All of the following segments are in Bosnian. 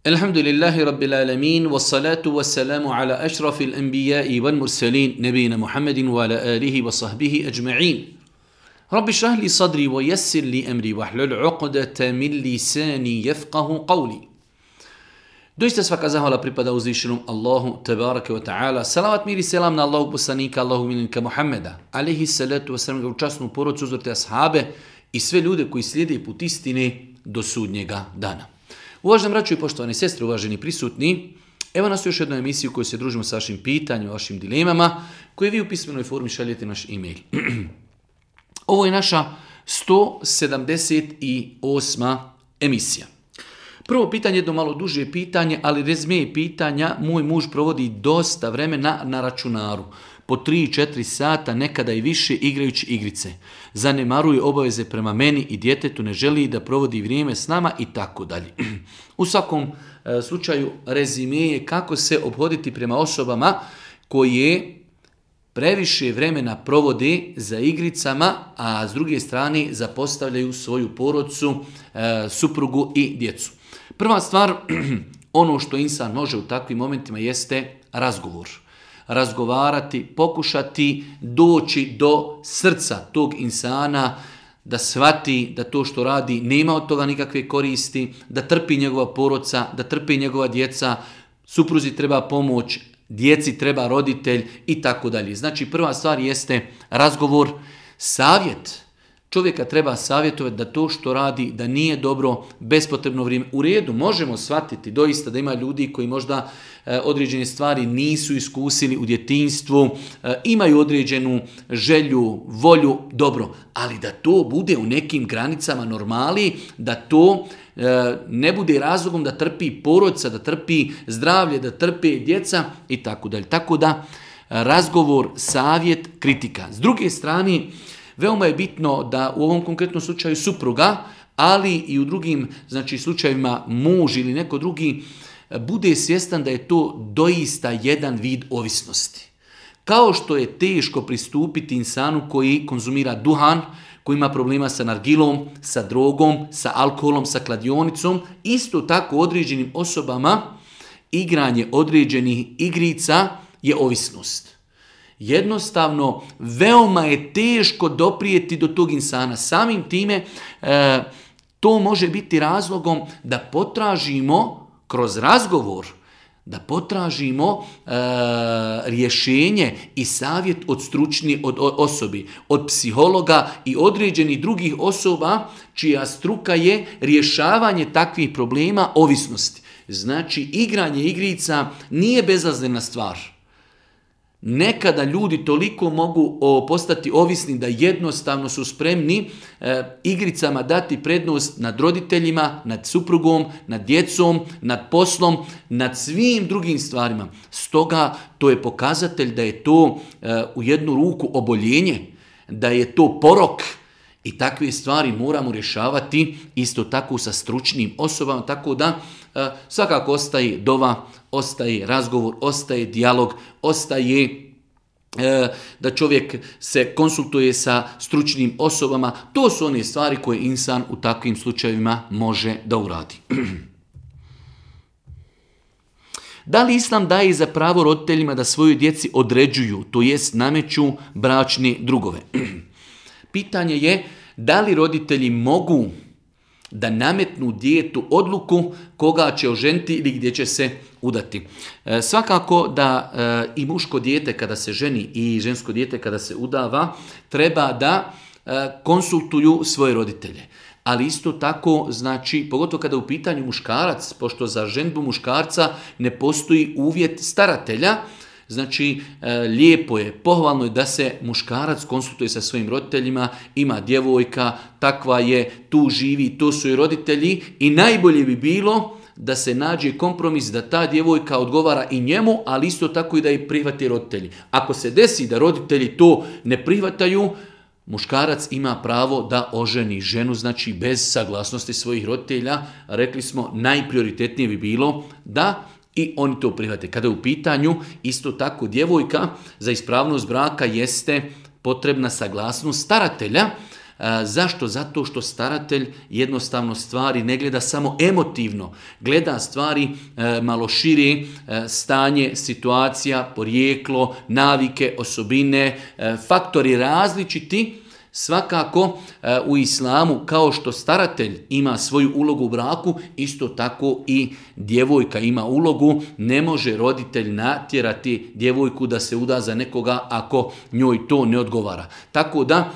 Alhamdulillahi Rabbil Alamin, wassalatu wassalamu ala ašrafil anbiya'i wal mursalin, nebina Muhammedin wa ala alihi wa sahbihi ajma'in. Rabbi šrah li sadri wa yassir li amri wa hlul uqdata min lisani yafqahu qawli. Doista svaka zahvala pripada uzvišenom Allahu tebareke wa ta'ala. Salavat mir i selam na Allahu poslanika, Allahu miljenika Muhammeda, alaihi salatu wasalam, u časnu porodcu, uzvrte ashabe i sve ljude koji slijede put istine do sudnjega dana. Uvaženi braćo i poštovane sestre, uvaženi prisutni, evo nas u još jednoj emisiji u kojoj se družimo sa vašim pitanjima, vašim dilemama, koje vi u pismenoj formi šaljete naš e-mail. Ovo je naša 178. emisija. Prvo pitanje, jedno malo duže pitanje, ali rezime pitanja, moj muž provodi dosta vremena na računaru. Po 3-4 sata, nekada i više, igrajući igrice. Zanemaruje obaveze prema meni i djetetu, ne želi da provodi vrijeme s nama i tako dalje. U svakom slučaju rezime je kako se obhoditi prema osobama koje previše vremena provode za igricama, a s druge strane zapostavljaju svoju porodcu, suprugu i djecu. Prva stvar, ono što insan može u takvim momentima jeste razgovor. Razgovarati, pokušati doći do srca tog insana, da shvati da to što radi nema od toga nikakve koristi, da trpi njegova porodca, da trpi njegova djeca, supruzi treba pomoć, djeci treba roditelj i tako dalje. Znači prva stvar jeste razgovor, savjet. Čovjeka treba savjetovati da to što radi, da nije dobro, bespotrebno vrijeme. U redu, možemo shvatiti doista da ima ljudi koji možda određene stvari nisu iskusili u djetinjstvu, imaju određenu želju, volju, dobro, ali da to bude u nekim granicama normali, da to ne bude razlogom da trpi porodca, da trpi zdravlje, da trpe djeca i tako dalje. Tako da razgovor, savjet, kritika. S druge strane, veoma je bitno da u ovom konkretnom slučaju supruga, ali i u drugim slučajevima muž ili neko drugi, bude svjestan da je to doista jedan vid ovisnosti. Kao što je teško pristupiti insanu koji konzumira duhan, koji ima problema sa nargilom, sa drogom, sa alkoholom, sa kladionicom, isto tako određenim osobama igranje određenih igrica je ovisnost. Jednostavno, veoma je teško doprijeti do tog insana. Samim time, to može biti razlogom da potražimo kroz razgovor, da potražimo rješenje i savjet od stručnih osobi, od psihologa i određenih drugih osoba čija struka je rješavanje takvih problema ovisnosti. Znači, igranje igrica nije bezazlena stvar. Nekada ljudi toliko mogu postati ovisni da jednostavno su spremni igricama dati prednost nad roditeljima, nad suprugom, nad djecom, nad poslom, nad svim drugim stvarima. Stoga to je pokazatelj da je to u jednu ruku oboljenje, da je to porok i takve stvari moramo rješavati isto tako sa stručnim osobama, tako da svakako ostaje dova, ostaje razgovor, ostaje dijalog, ostaje da čovjek se konsultuje sa stručnim osobama. To su one stvari koje insan u takvim slučajevima može da uradi. Da li Islam daje za pravo roditeljima da svojoj djeci određuju, to jest nameću bračne drugove? Pitanje je da li roditelji mogu da nametnu djetetu odluku koga će oženiti ili gdje će se udati. Svakako da i muško dijete kada se ženi i žensko dijete kada se udava treba da konsultuju svoje roditelje. Ali isto tako, znači, pogotovo kada je u pitanju muškarac, pošto za ženbu muškarca ne postoji uvjet staratelja, znači, lijepo je, pohvalno je da se muškarac konsultuje sa svojim roditeljima, ima djevojka, takva je, tu živi, to su i roditelji i najbolje bi bilo da se nađe kompromis da ta djevojka odgovara i njemu, ali isto tako i da je prihvate roditelji. Ako se desi da roditelji to ne prihvataju, muškarac ima pravo da oženi ženu, znači bez saglasnosti svojih roditelja. Rekli smo, najprioritetnije bi bilo da i oni to prihvate. Kada je u pitanju isto tako djevojka, za ispravnost braka jeste potrebna saglasnost staratelja. Zašto? Zato što staratelj jednostavno stvari ne gleda samo emotivno, gleda stvari malo šire, stanje, situacija, porijeklo, navike, osobine, faktori različiti. Svakako u islamu kao što staratelj ima svoju ulogu u braku, isto tako i djevojka ima ulogu. Ne može roditelj natjerati djevojku da se uda za nekoga ako njoj to ne odgovara. Tako da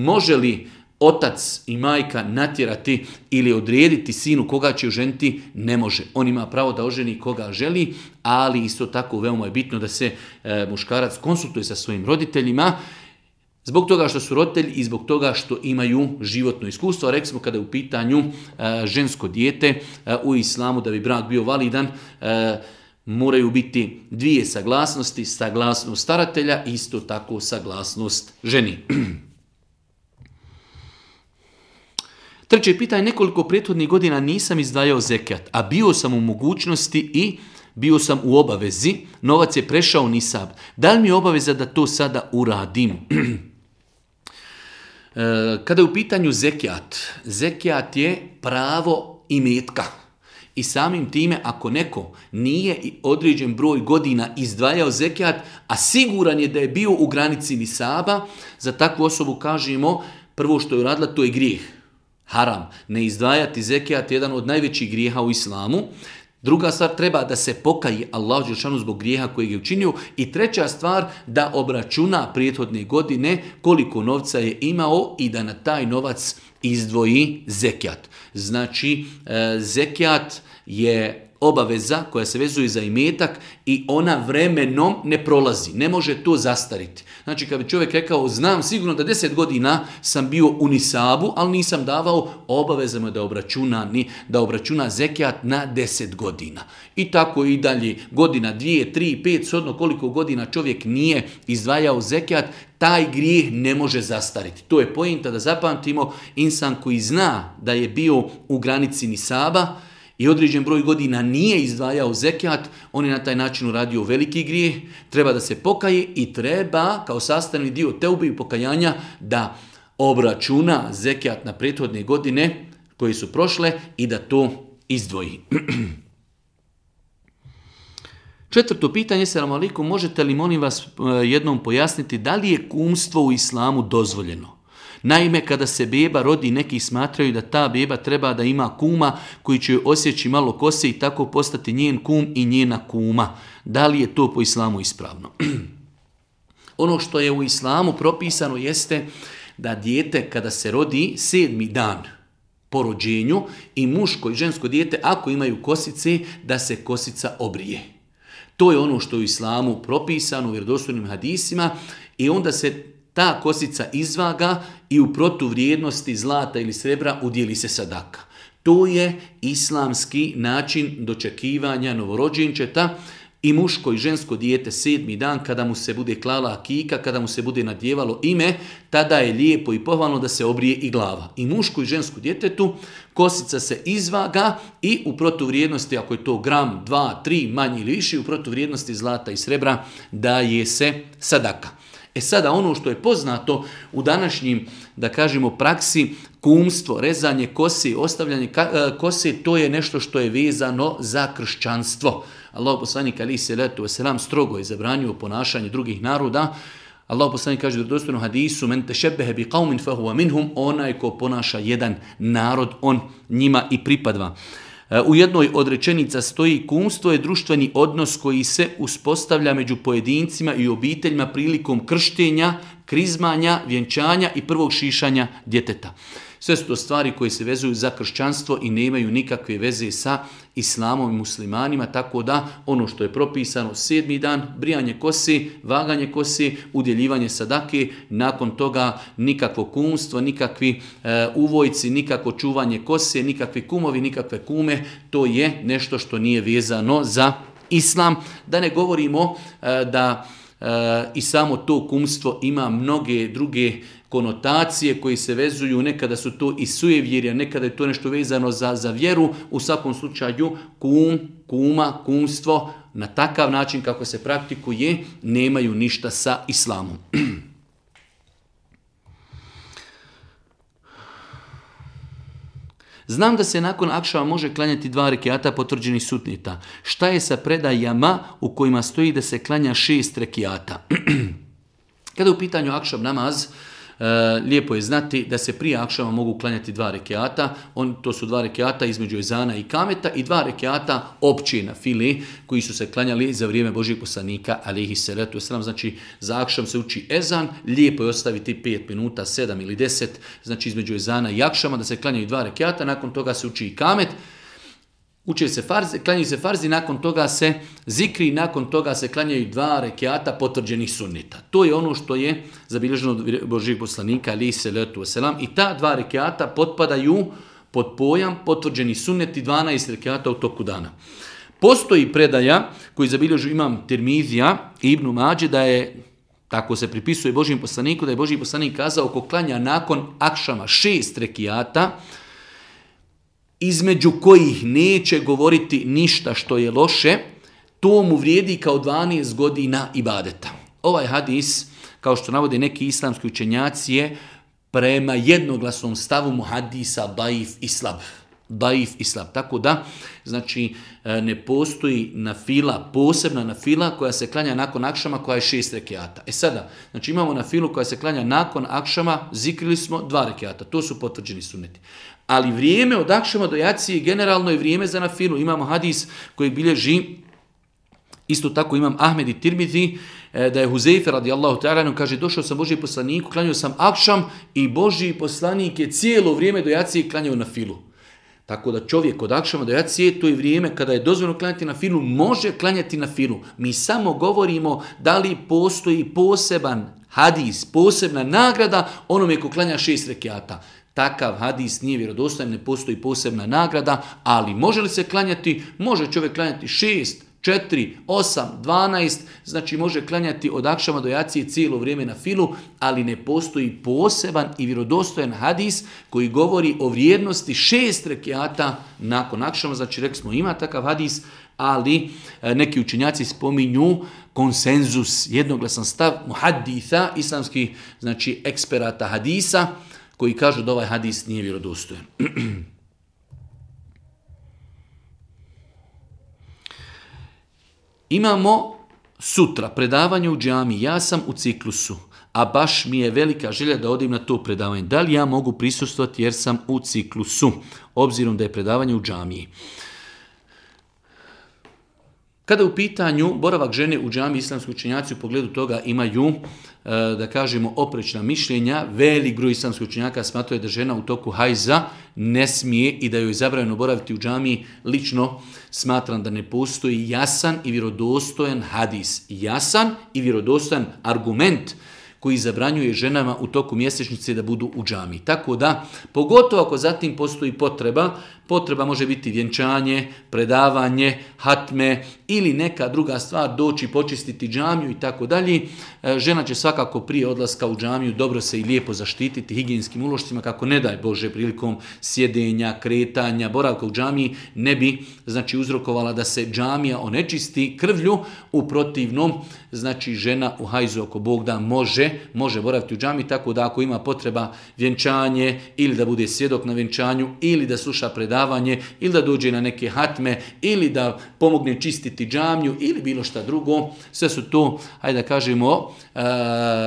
može li otac i majka natjerati ili odrediti sinu koga će oženiti? Ne može. On ima pravo da oženi koga želi, ali isto tako veoma je bitno da se muškarac konsultuje sa svojim roditeljima, zbog toga što su roditelji i zbog toga što imaju životno iskustvo. Rekli smo kada je u pitanju žensko dijete u islamu, da bi brak bio validan, moraju biti dvije saglasnosti, saglasnost staratelja, isto tako saglasnost ženi. Treće pitanje, nekoliko prethodnih godina nisam izdvajao zekijat, a bio sam u mogućnosti i bio sam u obavezi, novac je prešao nisab. Da li mi je obaveza da to sada uradim? Kada je u pitanju zekijat, zekijat je pravo imetka. I samim time, ako neko nije određen broj godina izdvajao zekijat, a siguran je da je bio u granici nisaba, za takvu osobu kažemo, prvo što je uradila, to je grijeh. Haram. Ne izdvajati zekijat je jedan od najvećih grijeha u islamu. Druga stvar, treba da se pokaje Allahu dželešanu zbog grijeha kojeg je učinio. I treća stvar, da obračuna prethodne godine koliko novca je imao i da na taj novac izdvoji zekijat. Znači, zekijat je obaveza koja se vezuje za imetak i ona vremenom ne prolazi. Ne može to zastariti. Znači, kad bi čovjek rekao, znam sigurno da 10 godina sam bio u nisabu, ali nisam davao, obavezama da obračuna zekijat na 10 godina. I tako i dalje, godina, 2, 3, 5, shodno koliko godina čovjek nije izdvajao zekijat, taj grijeh ne može zastariti. To je pointa da zapamtimo, insan koji zna da je bio u granici nisaba i određen broj godina nije izdvajao zekijat, on je na taj način uradio veliki grijeh, treba da se pokaje i treba kao sastavni dio teube i pokajanja da obračuna zekijat na prethodne godine koje su prošle i da to izdvoji. Četvrto pitanje, selamu alejkum, možete li molim vas jednom pojasniti da li je kumstvo u islamu dozvoljeno? Naime, kada se beba rodi, neki smatraju da ta beba treba da ima kuma koji će joj osjeći malo kose i tako postati njen kum i njena kuma. Da li je to po islamu ispravno? Ono što je u islamu propisano jeste da dijete kada se rodi 7. dan po rođenju i muško i žensko dijete ako imaju kosice da se kosica obrije. To je ono što je u islamu propisano u vjerodostojnim hadisima i onda se ta kosica izvaga i u protuvrijednosti zlata ili srebra udjeli se sadaka. To je islamski način dočekivanja novorođenčeta i muško i žensko dijete 7. dan kada mu se bude klala akika, kada mu se bude nadjevalo ime, tada je lijepo i pohvalno da se obrije i glava. I muško i žensko djetetu kosica se izvaga i u protuvrijednosti, ako je to gram, 2, 3, manje ili više, u protuvrijednosti zlata i srebra daje se sadaka. Sada ono što je poznato u današnjim, da kažemo, praksi, kumstvo, rezanje kose, ostavljanje kose, to je nešto što je vezano za kršćanstvo. Allahu poslanik alejhi selatu vesselam strogo je zabranio ponašanje drugih naroda. Allahu poslanik kaže u vjerodostojnom hadisu: "Men tešebbehe bi qaumin fahuwa minhum", onaj ko ponaša jedan narod, on njima i pripada. U jednoj od rečenica stoji: kumstvo je društveni odnos koji se uspostavlja među pojedincima i obiteljima prilikom krštenja, krizmanja, vjenčanja i prvog šišanja djeteta. Sve su to stvari koje se vezuju za kršćanstvo i nemaju nikakve veze sa islamom i muslimanima, tako da ono što je propisano 7. dan, brijanje kose, vaganje kose, udjeljivanje sadake, nakon toga nikakvo kumstvo, nikakvi uvojci, nikakvo čuvanje kose, nikakvi kumovi, nikakve kume, to je nešto što nije vezano za islam. Da ne govorimo da i samo to kumstvo ima mnoge druge konotacije koji se vezuju, nekada su to i sujevjerja, nekada je to nešto vezano za vjeru. U svakom slučaju kum, kuma, kumstvo na takav način kako se praktikuje nemaju ništa sa islamom. Znam da se nakon akšama može klanjati 2 rekiata potvrđenih sunneta. Šta je sa predajama u kojima stoji da se klanja 6 rekiata? Kada je u pitanju akšam namaz, lijepo je znati da se prije akšama mogu klanjati 2 rekiata. To su 2 rekiata između ezana i kameta i 2 rekiata opće na fili koji su se klanjali za vrijeme Božijeg poslanika alejhi salatu vesselam. Znači za akšam se uči ezan, lijepo je ostaviti 5 minuta, 7 ili 10, znači između ezana i akšama da se klanjaju 2 rekiata, nakon toga se uči i kamet. Uče se farzi, klanjaju se farzi, nakon toga se zikri, nakon toga se klanjaju 2 rekiata potvrđenih sunneta. To je ono što je zabilježeno od Božijeg poslanika alejhi salatu vesselam i ta 2 rekiata potpadaju pod pojam potvrđeni sunneti 12 rekiata u toku dana. Postoji predaja koju zabilježu imam Tirmizija i Ibn Mađe da je, tako se pripisuje Božijem poslaniku, da je Božji poslanik kazao ko klanja nakon akšama 6 rekiata, između kojih neće govoriti ništa što je loše, to mu vrijedi kao 12 godina ibadeta. Ovaj hadis, kao što navode neki islamski učenjaci, je prema jednoglasnom stavu muhadisa daif i slab. Daif i slab. Tako da, znači, ne postoji nafila, posebna nafila koja se klanja nakon akšama koja je 6 rekiata. Sada, znači imamo nafilu koja se klanja nakon akšama, zikrili smo 2 rekiata. To su potvrđeni sunneti. Ali vrijeme od akšama do jacije generalno je vrijeme za nafilu. Imamo hadis koji bilježi, isto tako imam Ahmed i Tirmizi, da je Huzeyfe radijallahu ta'ala kaže došao sam Božji poslaniku, klanjao sam akšam i Božji poslanik je cijelo vrijeme do jacije klanjao nafilu. Tako da čovjek od akšama do jacije, to je vrijeme kada je dozvoljeno klanjati nafilu, može klanjati nafilu. Mi samo govorimo da li postoji poseban hadis, posebna nagrada onome ko klanja 6 rekiata. Takav hadis nije vjerodostojan, ne postoji posebna nagrada, ali može li se klanjati? Može čovjek klanjati 6, 4, 8, 12, znači može klanjati od akšama do jacije cijelo vrijeme na filu, ali ne postoji poseban i vjerodostojan hadis koji govori o vrijednosti 6 rekiata nakon akšama. Znači rekli smo ima takav hadis, ali neki učenjaci spominju konsenzus, jednoglasan stav muhadditha, islamskih znači eksperata hadisa, koji kažu da ovaj hadis nije vjerodostojan. Imamo sutra predavanje u džami. Ja sam u ciklusu, a baš mi je velika želja da odim na to predavanje. Da li ja mogu prisustvovati jer sam u ciklusu, obzirom da je predavanje u džamiji? Kada je u pitanju boravak žene u džami, islamski učenjaci u pogledu toga imaju, da kažemo, oprečna mišljenja. Velik broj islamskih učenjaka smatraju da žena u toku hajza ne smije i da joj je zabranjeno boraviti u džami. Lično smatram da ne postoji jasan i vjerodostojan hadis, jasan i vjerodostojan argument koji zabranjuje ženama u toku mjesečnice da budu u džami. Tako da, pogotovo ako zatim postoji potreba može biti vjenčanje, predavanje, hatme ili neka druga stvar, doći počistiti džamiju i tako dalje. Žena će svakako prije odlaska u džamiju dobro se i lijepo zaštititi higijenskim ulošcima kako ne daj Bože prilikom sjedenja, kretanja, boravka u džamiji ne bi znači uzrokovala da se džamija onečisti krvlju. U protivnom, znači žena u hajzu ako Bog da može boraviti u džamiji, tako da ako ima potreba vjenčanje ili da bude svjedok na vjenčanju ili da sluša predavanje ili da dođe na neke hatme ili da pomogne čistiti džamiju ili bilo šta drugo, sve su to, hajde da kažemo,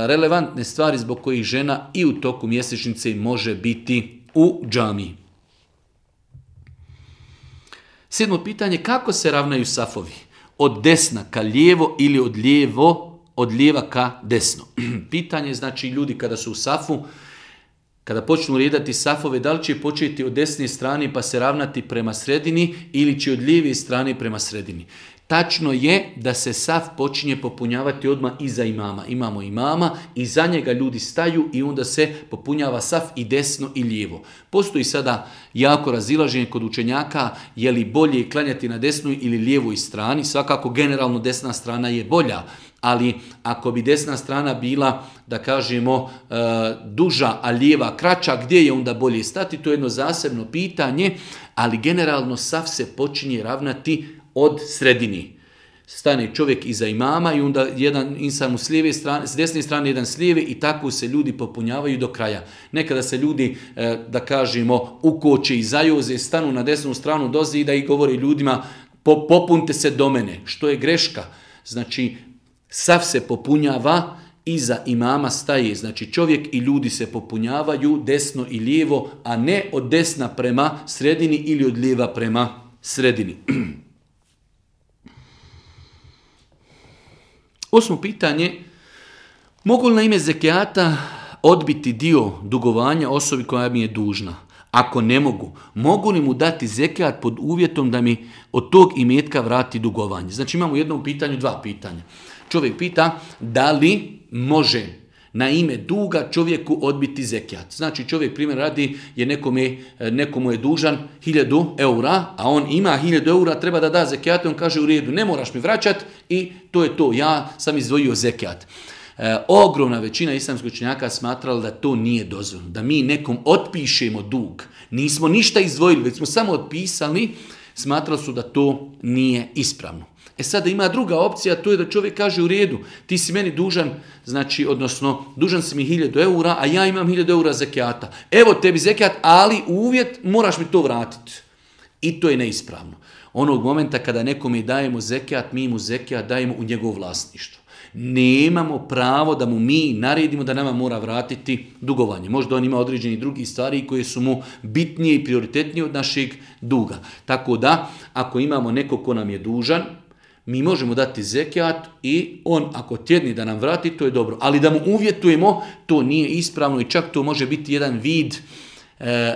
relevantne stvari zbog kojih žena i u toku mjesečnice može biti u džamiji. 7. pitanje, kako se ravnaju safovi? Od desna ka lijevo ili od lijeva ka desno? Pitanje znači ljudi kada su u safu, kada počnu redati safove, da li će početi od desne strane pa se ravnati prema sredini ili će od lijeve strane prema sredini. Tačno je da se saf počinje popunjavati odmah iza imama. Imamo imama i za njega ljudi staju i onda se popunjava saf i desno i lijevo. Postoji sada jako razilaženje kod učenjaka je li bolje klanjati na desnoj ili lijevoj strani. Svakako generalno desna strana je bolja, ali ako bi desna strana bila, da kažemo, duža, a lijeva kraća, gdje je onda bolje stati? To je jedno zasebno pitanje, ali generalno saf se počinje ravnati od sredini. stane čovjek iza imama i onda jedan insan mu s desne strane, jedan s lijeve i tako se ljudi popunjavaju do kraja. Nekada se ljudi, da kažemo, ukoče i zajoze, stanu na desnu stranu do zida i govore ljudima popunite se do mene, što je greška. Znači, sav se popunjava, iza imama staje, znači čovjek i ljudi se popunjavaju desno i lijevo, a ne od desna prema sredini ili od lijeva prema sredini. 8. pitanje, mogu li na ime zekijata odbiti dio dugovanja osobi koja mi je dužna? Ako ne mogu li mu dati zekijat pod uvjetom da mi od tog imetka vrati dugovanje? Znači imamo u jednom pitanju 2 pitanja. Čovjek pita da li može na ime duga čovjeku odbiti zekijat. Znači čovjek primjer radi je nekomu je dužan 1000 eura, a on ima 1000 eura, treba da da zekijat, on kaže u redu, ne moraš mi vraćati i to je to, ja sam izdvojio zekijat. Ogromna većina islamskih učenjaka smatrala da to nije dozvoljeno, da mi nekom otpišemo dug. Nismo ništa izdvojili, već smo samo otpisali, smatrali su da to nije ispravno. Sada ima druga opcija, to je da čovjek kaže u redu, ti si meni dužan, znači, odnosno, dužan si mi 1000 eura, a ja imam 1000 eura zekijata. Evo tebi zekijat, ali uvjet moraš mi to vratiti. I to je neispravno. Onog momenta kada nekome dajemo zekijat, mi mu zekijat dajemo u njegovo vlasništvo. Nemamo pravo da mu mi naredimo da nama mora vratiti dugovanje. Možda on ima određeni drugi stvari koje su mu bitnije i prioritetnije od našeg duga. Tako da, ako imamo nekog ko nam je dužan, mi možemo dati zekijat i on ako tjedni da nam vrati, to je dobro. Ali da mu uvjetujemo, to nije ispravno i čak to može biti jedan vid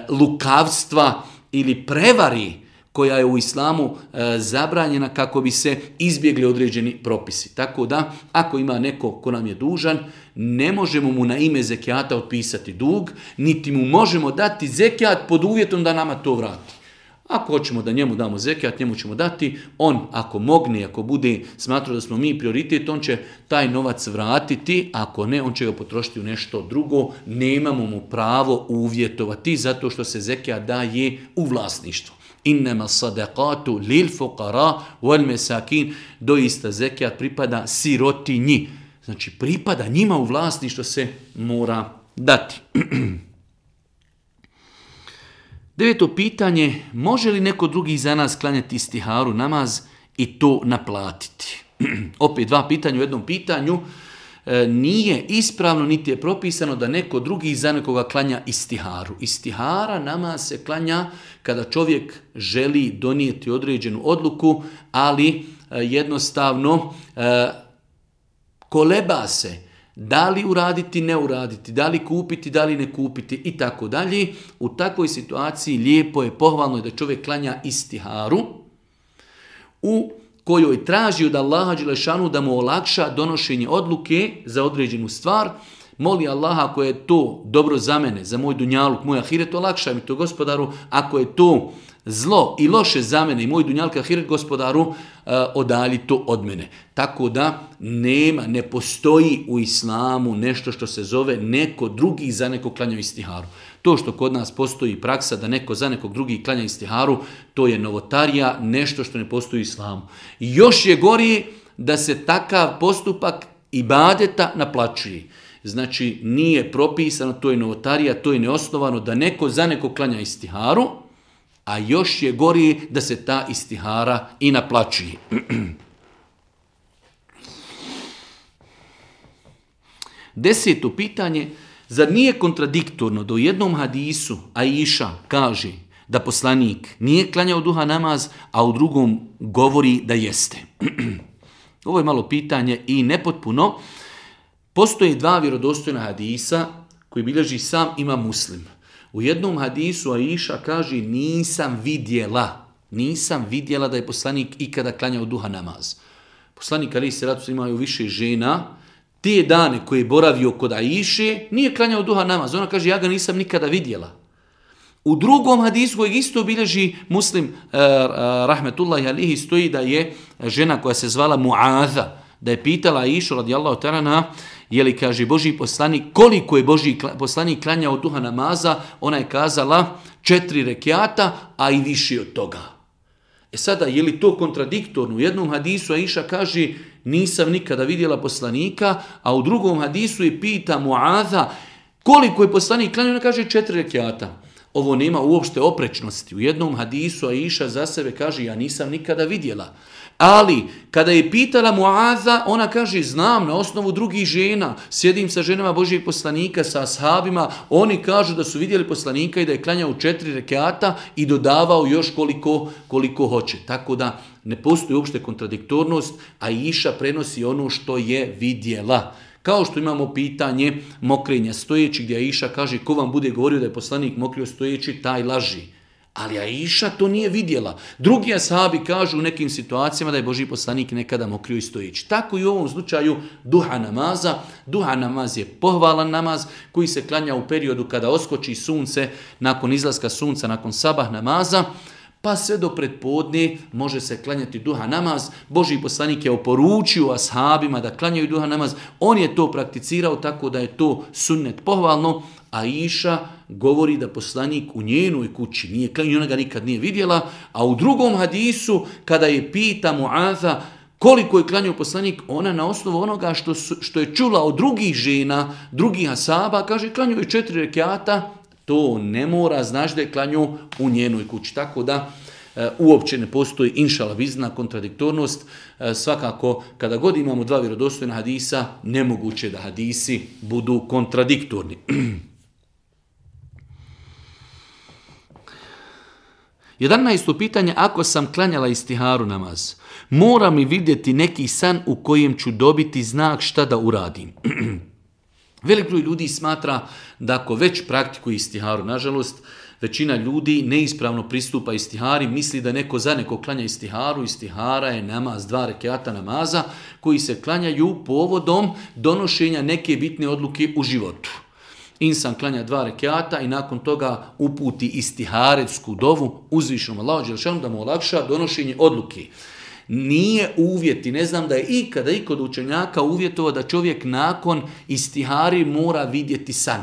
lukavstva ili prevari koja je u islamu zabranjena kako bi se izbjegli određeni propisi. Tako da, ako ima neko ko nam je dužan, ne možemo mu na ime zekijata otpisati dug, niti mu možemo dati zekijat pod uvjetom da nama to vrati. Ako hoćemo da njemu damo zekijat, njemu ćemo dati, on ako mogne, ako bude smatrao da smo mi prioritet, on će taj novac vratiti, ako ne, on će ga potrošiti u nešto drugo, nemamo mu pravo uvjetovati zato što se zekijat daje u vlasništvo. Innama sadaqatu lil fuqara wal masakin, doista zekijat pripada sirotinji. Znači pripada njima u vlasništvo, se mora dati. 9. pitanje, može li neko drugi za nas klanjati istiharu namaz i to naplatiti? Opet 2 pitanja u jednom pitanju. Nije ispravno niti je propisano da neko drugi za nekoga klanja istiharu. Istihara namaz se klanja kada čovjek želi donijeti određenu odluku, ali jednostavno koleba se. Da li uraditi, ne uraditi, da li kupiti, da li ne kupiti i tako dalje. U takvoj situaciji lijepo je, pohvalno je da čovjek klanja istiharu u kojoj traži od Allaha dželešanu da mu olakša donošenje odluke za određenu stvar. Moli Allaha, ako je to dobro za mene, za moj dunjaluk, moj ahiret, olakšaj mi to, Gospodaru. Ako je to zlo i loše za mene i moj dunjaluk, ahiret, Gospodaru, odalji to od mene. Tako da ne postoji u islamu nešto što se zove neko drugi za nekog klanja istiharu. To što kod nas postoji praksa da neko za nekog drugi klanja istiharu, to je novotarija, nešto što ne postoji u islamu. Još je gori da se takav postupak ibadeta naplaćuje. Znači nije propisano, to je novotarija, to je neosnovano da neko za nekog klanja istiharu, a još je gori da se ta istihara i naplaćuje. 10. pitanje, zar nije kontradiktorno da u jednom hadisu Aisha kaže da poslanik nije klanjao duha namaz, a u drugom govori da jeste? Ovo je malo pitanje i nepotpuno. Postoje 2 vjerodostojna hadisa koji bilježi sam Imam Muslim. U jednom hadisu Aisha kaže nisam vidjela da je poslanik ikada klanjao duha namaz. Poslanik alejhi selatu selam imaju više žena. Te dane koje je boravio kod Aiše nije klanjao duha namaz. Ona kaže ja ga nisam nikada vidjela. U drugom hadisu kojeg isto bilježi Muslim rahmetullahi alejhi stoji da je žena koja se zvala Muaza, da je pitala Aišu radijallahu ta'ala anha, je li, kaže, Božji poslanik, koliko je Božji poslanik klanjao duha namaza, ona je kazala 4 rekiata, a i više od toga. Sada, je li to kontradiktorno? U jednom hadisu Aisha kaže nisam nikada vidjela poslanika, a u drugom hadisu je pita Muaza koliko je poslanik klanjao, ona kaže 4 rekjata. Ovo nema uopšte oprečnosti. U jednom hadisu Aisha za sebe kaže ja nisam nikada vidjela. Ali kada je pitala Muaza, ona kaže znam na osnovu drugih žena, sjedim sa ženama Božijeg poslanika, sa ashabima, oni kažu da su vidjeli poslanika i da je klanjao 4 rekata i dodavao još koliko hoće. Tako da ne postoji uopšte kontradiktornost, a Aisha prenosi ono što je vidjela. Kao što imamo pitanje mokrenja stojeći, gdje Aisha kaže ko vam bude govorio da je poslanik mokrio stojeći, taj laži. Ali Aisha to nije vidjela. Drugi ashabi kažu u nekim situacijama da je Božji poslanik nekada mokrio i stojeći. Tako i u ovom slučaju duha namaza. Duha namaz je pohvalan namaz koji se klanja u periodu kada oskoči sunce, nakon izlaska sunca, nakon sabah namaza, pa sve do pretpodne može se klanjati duha namaz. Božji poslanik je oporučio ashabima da klanjaju duha namaz. On je to prakticirao tako da je to sunnet pohvalno. A Aisha govori da poslanik u njenoj kući nije klanjao, ona ga nikad nije vidjela. A u drugom hadisu kada je pita Muaza koliko je klanjao poslanik, ona na osnovu onoga što je čula od drugih žena, drugih ashaba, kaže klanjao je 4 rekjata. To ne mora znači da je klanjao u njenoj kući. Tako da uopće ne postoji inšala bizna kontradiktornost. Svakako kada god imamo 2 vjerodostojna hadisa, nemoguće da hadisi budu kontradiktorni. 11. pitanje, ako sam klanjala istiharu namaz, mora mi vidjeti neki san u kojem ću dobiti znak šta da uradim. Velik broj ljudi smatra da ako već praktikuje istiharu, nažalost, većina ljudi neispravno pristupa istihari, misli da neko za neko klanja istiharu. Istihara je namaz, 2 rekjata namaza koji se klanjaju povodom donošenja neke bitne odluke u životu. Insan klanja 2 rekjata i nakon toga uputi istiharetsku dovu uzvišenom Allahu dželešanu da mu olakša donošenje odluke. Nije uvjet i ne znam da je ikada i kod učenjaka uvjetovao da čovjek nakon istihari mora vidjeti san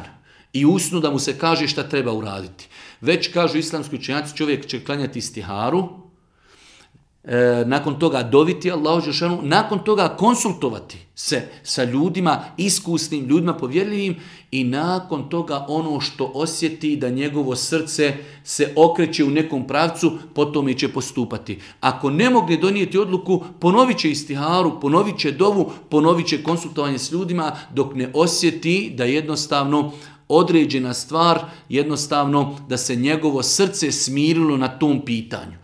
i u snu da mu se kaže šta treba uraditi. Već kažu islamski učenjaci, čovjek će klanjati istiharu, nakon toga doviti Allahu dželešanu, nakon toga konsultovati se sa ljudima, iskusnim ljudima, povjerljivim, i nakon toga ono što osjeti da njegovo srce se okreće u nekom pravcu, potom će postupati. Ako ne mogne donijeti odluku, ponovit će istiharu, ponovit će dovu, ponovit će konsultovanje s ljudima dok ne osjeti da jednostavno određena stvar, jednostavno da se njegovo srce smirilo na tom pitanju.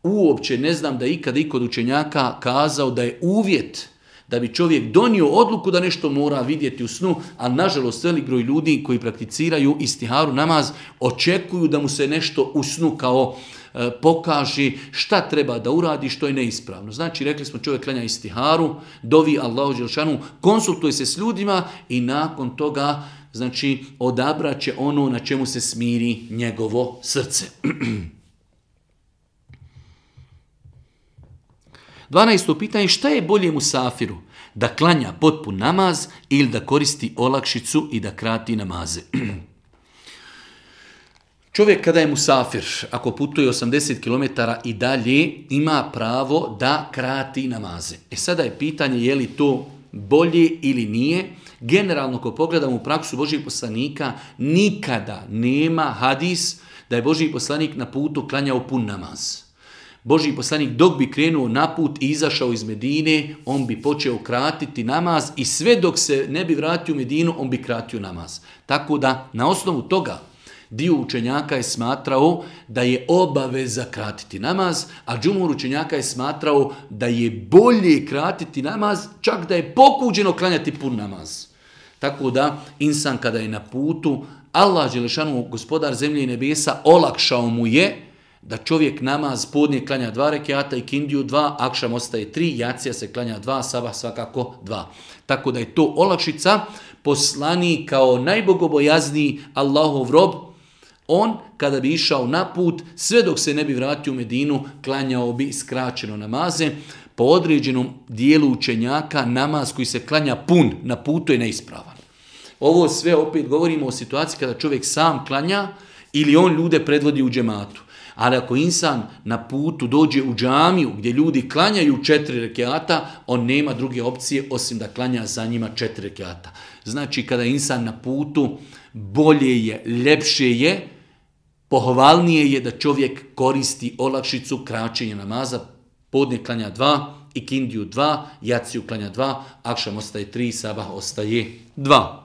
Uopće ne znam da ikada i kod učenjaka kazao da je uvjet da bi čovjek donio odluku da nešto mora vidjeti u snu, ali nažalost velik broj ljudi koji prakticiraju istiharu namaz očekuju da mu se nešto u snu kao pokaže šta treba da uradi, što je neispravno. Znači, rekli smo, čovjek klanja istiharu, dovi Allahu dželešanu, konsultuje se s ljudima i nakon toga, znači, odabrat će ono na čemu se smiri njegovo srce. 12. pitanje, šta je bolje musafiru? Da klanja potpun namaz ili da koristi olakšicu i da krati namaze? Čovjek kada je musafir, ako putuje 80 km i dalje, ima pravo da krati namaze. Sada je pitanje je li to bolje ili nije. Generalno, ako pogledamo u praksu Božjih poslanika, nikada nema hadis da je Božji poslanik na putu klanjao pun namaz. Božji poslanik dok bi krenuo na put i izašao iz Medine, on bi počeo kratiti namaz i sve dok se ne bi vratio u Medinu, on bi kratio namaz. Tako da na osnovu toga dio učenjaka je smatrao da je obaveza kratiti namaz, a džumhur učenjaka je smatrao da je bolje kratiti namaz, čak da je pokuđeno klanjati pun namaz. Tako da insan kada je na putu, Allah dželešanu, gospodar zemlje i nebesa, olakšao mu je da čovjek namaz podne klanja 2 rekjata i kindiju 2, akšam ostaje 3, jacija se klanja 2, sabah svakako 2. Tako da je to olakšica. Poslanik kao najbogobojazniji Allahov rob, on kada bi išao na put, sve dok se ne bi vratio u Medinu, klanjao bi skraćeno namaze. Po određenom dijelu učenjaka namaz koji se klanja pun na putu je neispravan. Ovo sve opet govorimo o situaciji kada čovjek sam klanja ili on ljude predvodi u džematu. Ali ako insan na putu dođe u džamiju gdje ljudi klanjaju 4 rekiata, on nema druge opcije osim da klanja za njima 4 rekiata. Znači kada je insan na putu, bolje je, ljepše je, pohvalnije je da čovjek koristi olakšicu kraćenja namaza. Podne klanja 2, ikindiju 2, jaciju klanja 2, akšam ostaje 3, sabah ostaje 2.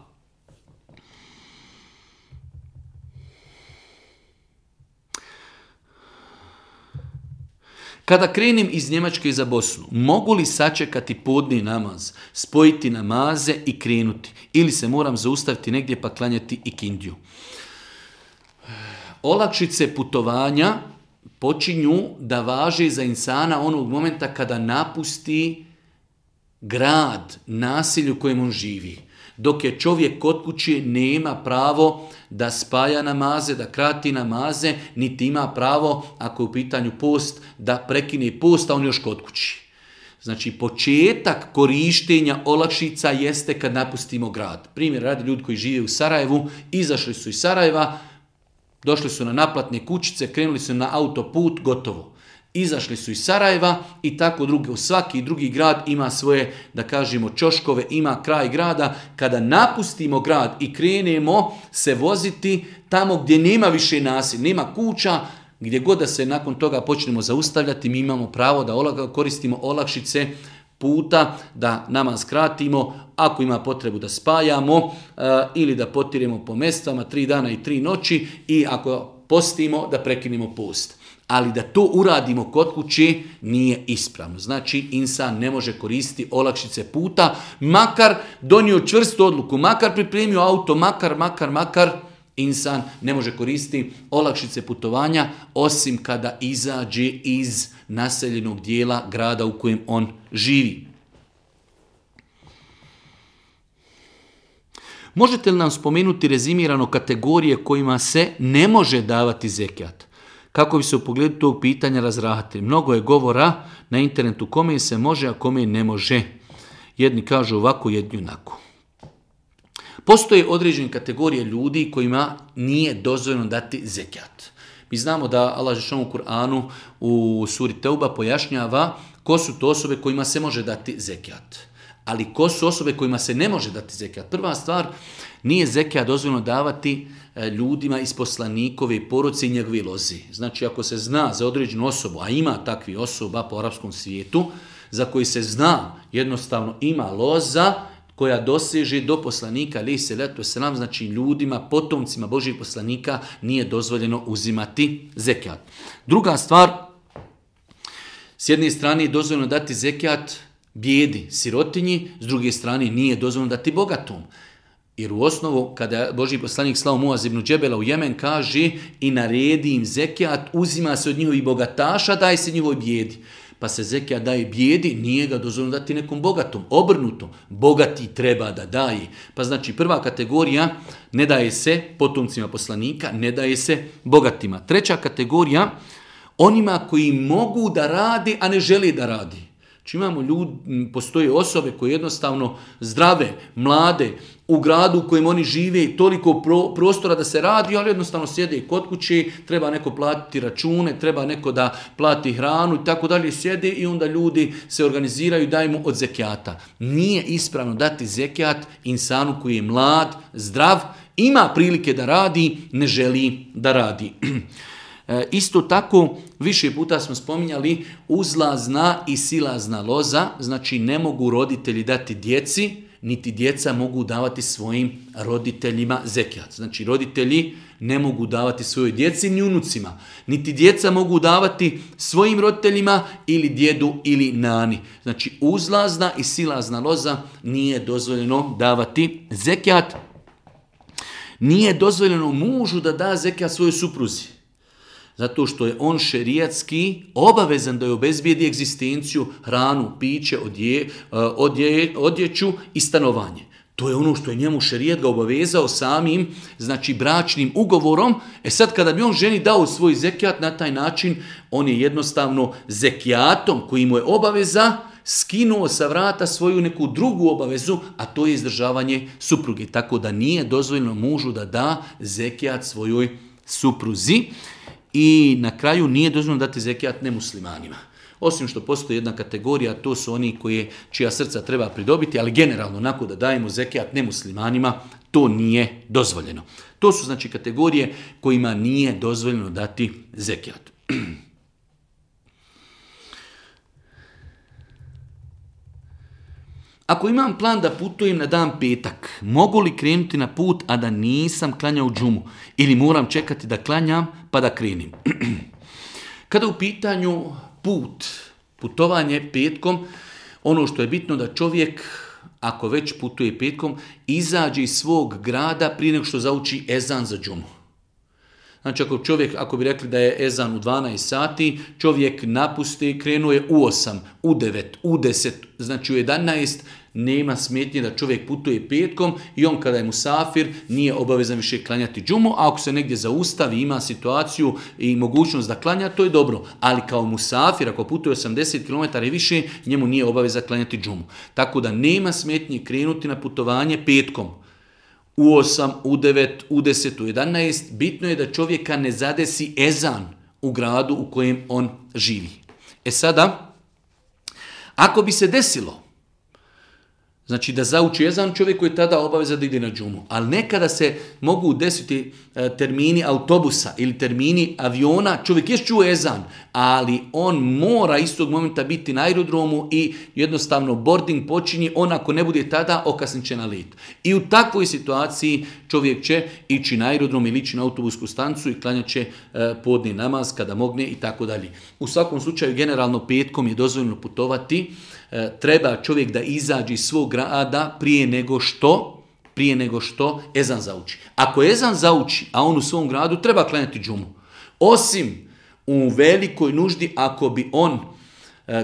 Kada krenem iz Njemačke za Bosnu, mogu li sačekati podni namaz, spojiti namaze i krenuti? Ili se moram zaustaviti negdje pa klanjati ikindiju? Olakšice putovanja počinju da važe za insana onog momenta kada napusti grad, naselje u kojem on živi. Dok je čovjek kod kuće, nema pravo da spaja namaze, da krati namaze, niti ima pravo, ako je u pitanju post, da prekine post, a on još kod kući. Znači, početak korištenja olakšica jeste kad napustimo grad. Primjer, radi ljudi koji žive u Sarajevu, izašli su iz Sarajeva, došli su na naplatne kućice, krenuli su na autoput, gotovo. Izašli su iz Sarajeva i tako drugi. U svaki drugi grad ima svoje, da kažemo, ćoškove, ima kraj grada. Kada napustimo grad i krenemo se voziti tamo gdje nema više naselja, nema kuća, gdje god da se nakon toga počnemo zaustavljati, mi imamo pravo da koristimo olakšice puta, da namaz skratimo, ako ima potrebu da spajamo ili da potiremo po mestvama 3 dana i 3 noći i ako postimo da prekinemo post. Ali da to uradimo kod kuće nije ispravno. Znači, insan ne može koristiti olakšice puta, makar donio čvrstu odluku, makar pripremio auto, makar, insan ne može koristiti olakšice putovanja, osim kada izađe iz naseljenog dijela grada u kojem on živi. Možete li nam spomenuti rezimirano kategorije kojima se ne može davati zekijat? Kako bi se u pogledu tog pitanja razrahatili? Mnogo je govora na internetu kome se može, a kome ne može. Jedni kažu ovako, jedni onako. Postoje određene kategorije ljudi kojima nije dozvoljeno dati zekijat. Mi znamo da Allah dželle u Kur'anu u suri Teuba pojašnjava ko su to osobe kojima se može dati zekijat. Ali ko su osobe kojima se ne može dati zekijat? Prva stvar, nije zekijat dozvoljeno davati ljudima iz poslanikove porodice i njegove lozi. Znači, ako se zna za određenu osobu, a ima takvi osoba po arapskom svijetu, za koji se zna jednostavno ima loza koja doseže do poslanika, alejhi selatu vesselam, znači ljudima, potomcima Božjih poslanika nije dozvoljeno uzimati zekijat. Druga stvar, s jedne strane je dozvoljeno dati zekijat bijedi, sirotinji, s druge strane nije dozvoljeno dati bogatom. Jer u osnovu, kada Božji poslanik slao Muaz ibn Džebela u Jemen, kaže i naredi im zekijat, uzima se od njihovih bogataša, daje se njihovoj bijedi. Pa se zekijat daje bijedi, nije ga dozvoljeno dati nekom bogatom. Obrnuto, bogati treba da daje. Pa znači prva kategorija, ne daje se potomcima poslanika, ne daje se bogatima. Treća kategorija, onima koji mogu da radi, a ne žele da radi. Znači imamo postoje osobe koje jednostavno zdrave, mlade, u gradu u kojem oni žive, toliko prostora da se radi, ali jednostavno sjede kod kuće, treba neko platiti račune, treba neko da plati hranu i tako dalje, sjede i onda ljudi se organiziraju i daju mu od zekijata. Nije ispravno dati zekijat insanu koji je mlad, zdrav, ima prilike da radi, ne želi da radi. Isto tako, više puta smo spominjali uzlazna i silazna loza, znači ne mogu roditelji dati djeci, niti djeca mogu davati svojim roditeljima zekijat. Znači roditelji ne mogu davati svojoj djeci ni unucima, niti djeca mogu davati svojim roditeljima ili djedu ili nani. Znači uzlazna i silazna loza nije dozvoljeno davati zekijat. Nije dozvoljeno mužu da da zekijat svojoj supruzi. Zato što je on šerijatski obavezan da je obezbijedi egzistenciju, hranu, piće, odjeću i stanovanje. To je ono što je njemu šerijat ga obavezao samim, znači bračnim ugovorom. Sad kada bi on ženi dao svoj zekijat na taj način, on je jednostavno zekijatom koji mu je obaveza skinuo sa vrata svoju neku drugu obavezu, a to je izdržavanje supruge. Tako da nije dozvoljeno mužu da da zekijat svojoj supruzi. i na kraju nije dozvoljeno dati zekijat nemuslimanima. Osim što postoji jedna kategorija, to su oni čija srca treba pridobiti, ali generalno onako da dajemo zekijat nemuslimanima, to nije dozvoljeno. To su znači kategorije kojima nije dozvoljeno dati zekijat. Ako imam plan da putujem na dan petak, mogu li krenuti na put, a da nisam klanjao džumu? Ili moram čekati da klanjam pa da krenim? Kada u pitanju putovanje petkom, ono što je bitno da čovjek, ako već putuje petkom, izađe iz svog grada prije nego što zauči ezan za džumu. Znači ako bi rekli da je ezan u 12 sati, čovjek napusti, krenuo je u 8, u 9, u 10, znači u 11, nema smetnje da čovjek putuje petkom i on kada je musafir nije obavezan više klanjati džumu, a ako se negdje zaustavi, ima situaciju i mogućnost da klanja, to je dobro. Ali kao musafir, ako putuje 80 km i više, njemu nije obaveza klanjati džumu. Tako da nema smetnje krenuti na putovanje petkom. U 8, u 9, u 10, u 11, bitno je da čovjeka ne zadesi ezan u gradu u kojem on živi. Sada, ako bi se desilo, znači da zauči ezan, čovjek koji je tada obaveza da ide na džumu. Ali nekada se mogu desiti termini autobusa ili termini aviona, čovjek je čuo ezan, ali on mora istog momenta biti na aerodromu i jednostavno boarding počinje, on ako ne bude tada, okasnit će na let. I u takvoj situaciji čovjek će ići na aerodrom ili ići na autobusku stancu i klanjat će podni namaz kada mogne i tako dalje. U svakom slučaju, generalno petkom je dozvoljeno putovati. Treba čovjek da izađe iz svog grada prije nego što ezan zauči. Ako ezan zauči, a on u svom gradu, treba klanjati džumu. Osim u velikoj nuždi, ako bi on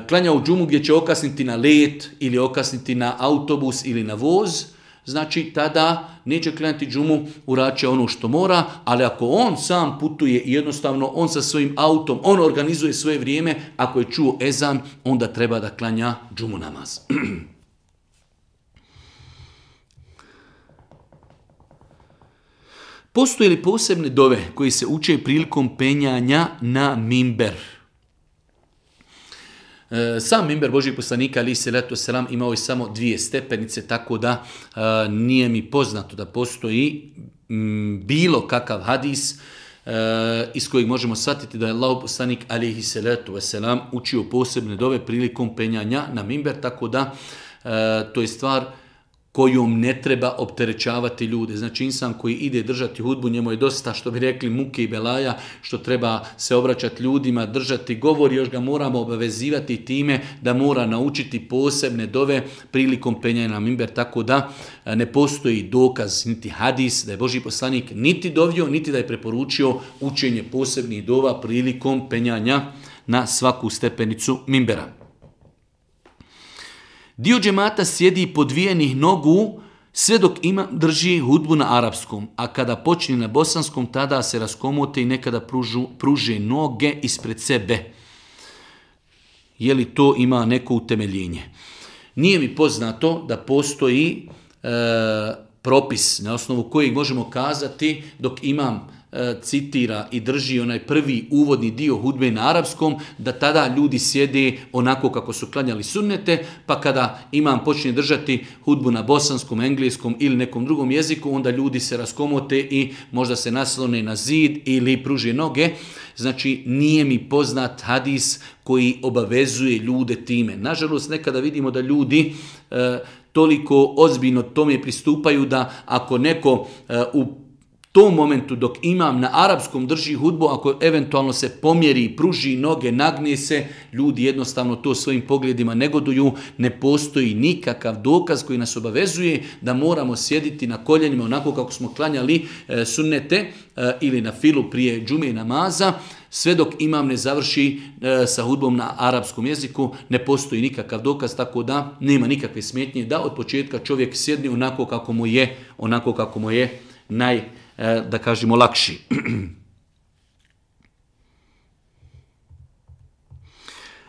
klanjao džumu gdje će okasniti na let ili okasniti na autobus ili na voz, znači tada neće klanjati džumu, uraće ono što mora, ali ako on sam putuje i jednostavno on sa svojim autom, on organizuje svoje vrijeme, ako je čuo ezan, onda treba da klanja džumu namaz. Postoje li posebne dove koji se uče prilikom penjanja na mimber? Sam mimber Božijeg poslanika alejhi selatu selam imao je samo 2 stepenice, tako da nije mi poznato da postoji bilo kakav hadis iz kojeg možemo shvatiti da je Allahov poslanik alejhi selatu selam učio posebne dove prilikom penjanja na mimber, tako da to je stvar kojom ne treba opterećavati ljude. Znači insan koji ide držati hudbu, njemu je dosta, što bi rekli, muke i belaja, što treba se obraćati ljudima, držati govor, još ga moramo obavezivati time da mora naučiti posebne dove prilikom penjanja na mimber, tako da ne postoji dokaz, niti hadis, da je Božji poslanik niti dovio, niti da je preporučio učenje posebnih dova prilikom penjanja na svaku stepenicu mimbera. Dio džemata sjedi podvijenih nogu sve dok drži hudbu na arapskom, a kada počne na bosanskom, tada se raskomote i nekada pruže noge ispred sebe. Je li to ima neko utemeljenje? Nije mi poznato da postoji propis na osnovu kojeg možemo kazati dok imam citira i drži onaj prvi uvodni dio hudbe na arapskom, da tada ljudi sjede onako kako su klanjali sunnete, pa kada imam počne držati hudbu na bosanskom, engleskom ili nekom drugom jeziku, onda ljudi se raskomote i možda se naslone na zid ili pruže noge. Znači, nije mi poznat hadis koji obavezuje ljude time. Nažalost, nekada vidimo da ljudi toliko ozbiljno tome pristupaju da ako neko u tom momentu dok imam na arapskom drži hudbu, ako eventualno se pomjeri, pruži noge, nagne se, ljudi jednostavno to svojim pogledima negoduju, ne postoji nikakav dokaz koji nas obavezuje da moramo sjediti na koljenima onako kako smo klanjali sunnete ili na filu prije džume i namaza, sve dok imam ne završi sa hudbom na arapskom jeziku, ne postoji nikakav dokaz, tako da nema nikakve smetnje da od početka čovjek sjedne onako kako mu je da kažemo lakši.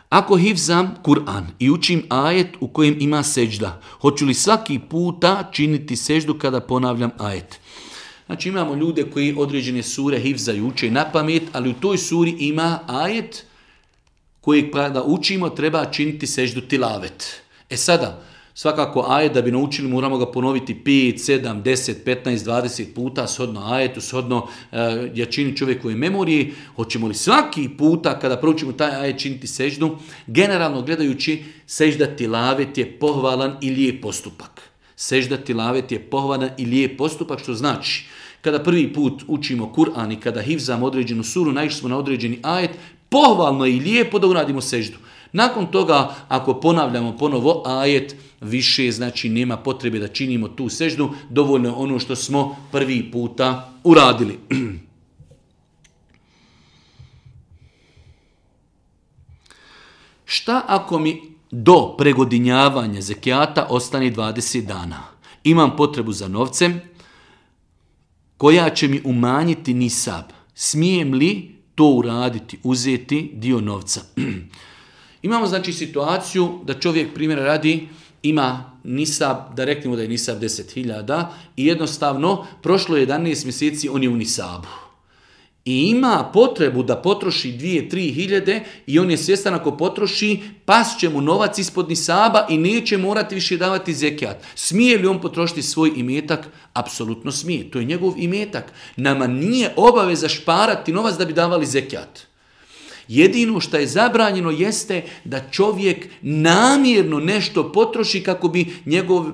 Ako hifzam Kur'an i učim ajet u kojem ima seđda, hoću li svaki puta činiti seždu kada ponavljam ajet? Znači imamo ljude koji određene sure hifzaju, uče na pamet, ali u toj suri ima ajet kojeg kada učimo treba činiti seždu tilavet. Sada, svakako ajet da bi naučili moramo ga ponoviti 5, 7, 10, 15, 20 puta shodno ajetu, shodno jačini čovjekove memorije. Hoćemo li svaki puta kada proučimo taj ajet činiti seždu? Generalno gledajući, sežda tilavet je pohvalan i lijep postupak. Sežda tilavet je pohvalan i lijep postupak, što znači kada prvi put učimo Kur'an i kada hifzamo određenu suru, naišli smo na određeni ajet, pohvalno je i lijepo da uradimo seždu. Nakon toga, ako ponavljamo ponovo ajet, više znači nema potrebe da činimo tu seždu, dovoljno je ono što smo prvi puta uradili. Šta ako mi do pregodinjavanja zekijata ostane 20 dana? Imam potrebu za novcem koja će mi umanjiti nisab. Smijem li to uraditi, uzeti dio novca? Imamo znači situaciju da čovjek primjera radi ima nisab, da reknemo da je nisab 10.000 i jednostavno prošlo 11 mjeseci on je u nisabu. I ima potrebu da potroši 2-3 hiljade i on je svjestan ako potroši, pas će mu novac ispod nisaba i neće morati više davati zekijat. Smije li on potrošiti svoj imetak? Apsolutno smije. To je njegov imetak. Nama nije obaveza šparati novac da bi davali zekijat. Jedino što je zabranjeno jeste da čovjek namjerno nešto potroši kako bi njegov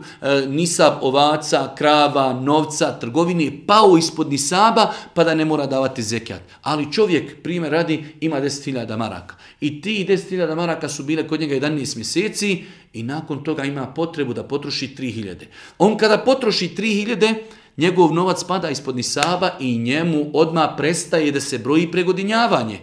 nisab ovaca, krava, novca, trgovine pao ispod nisaba pa da ne mora davati zekijat. Ali čovjek, primjer radi, ima 10.000 maraka. I ti 10.000 maraka su bile kod njega 11 mjeseci i nakon toga ima potrebu da potroši 3.000. On kada potroši 3.000, njegov novac pada ispod nisaba i njemu odmah prestaje da se broji pregodinjavanje.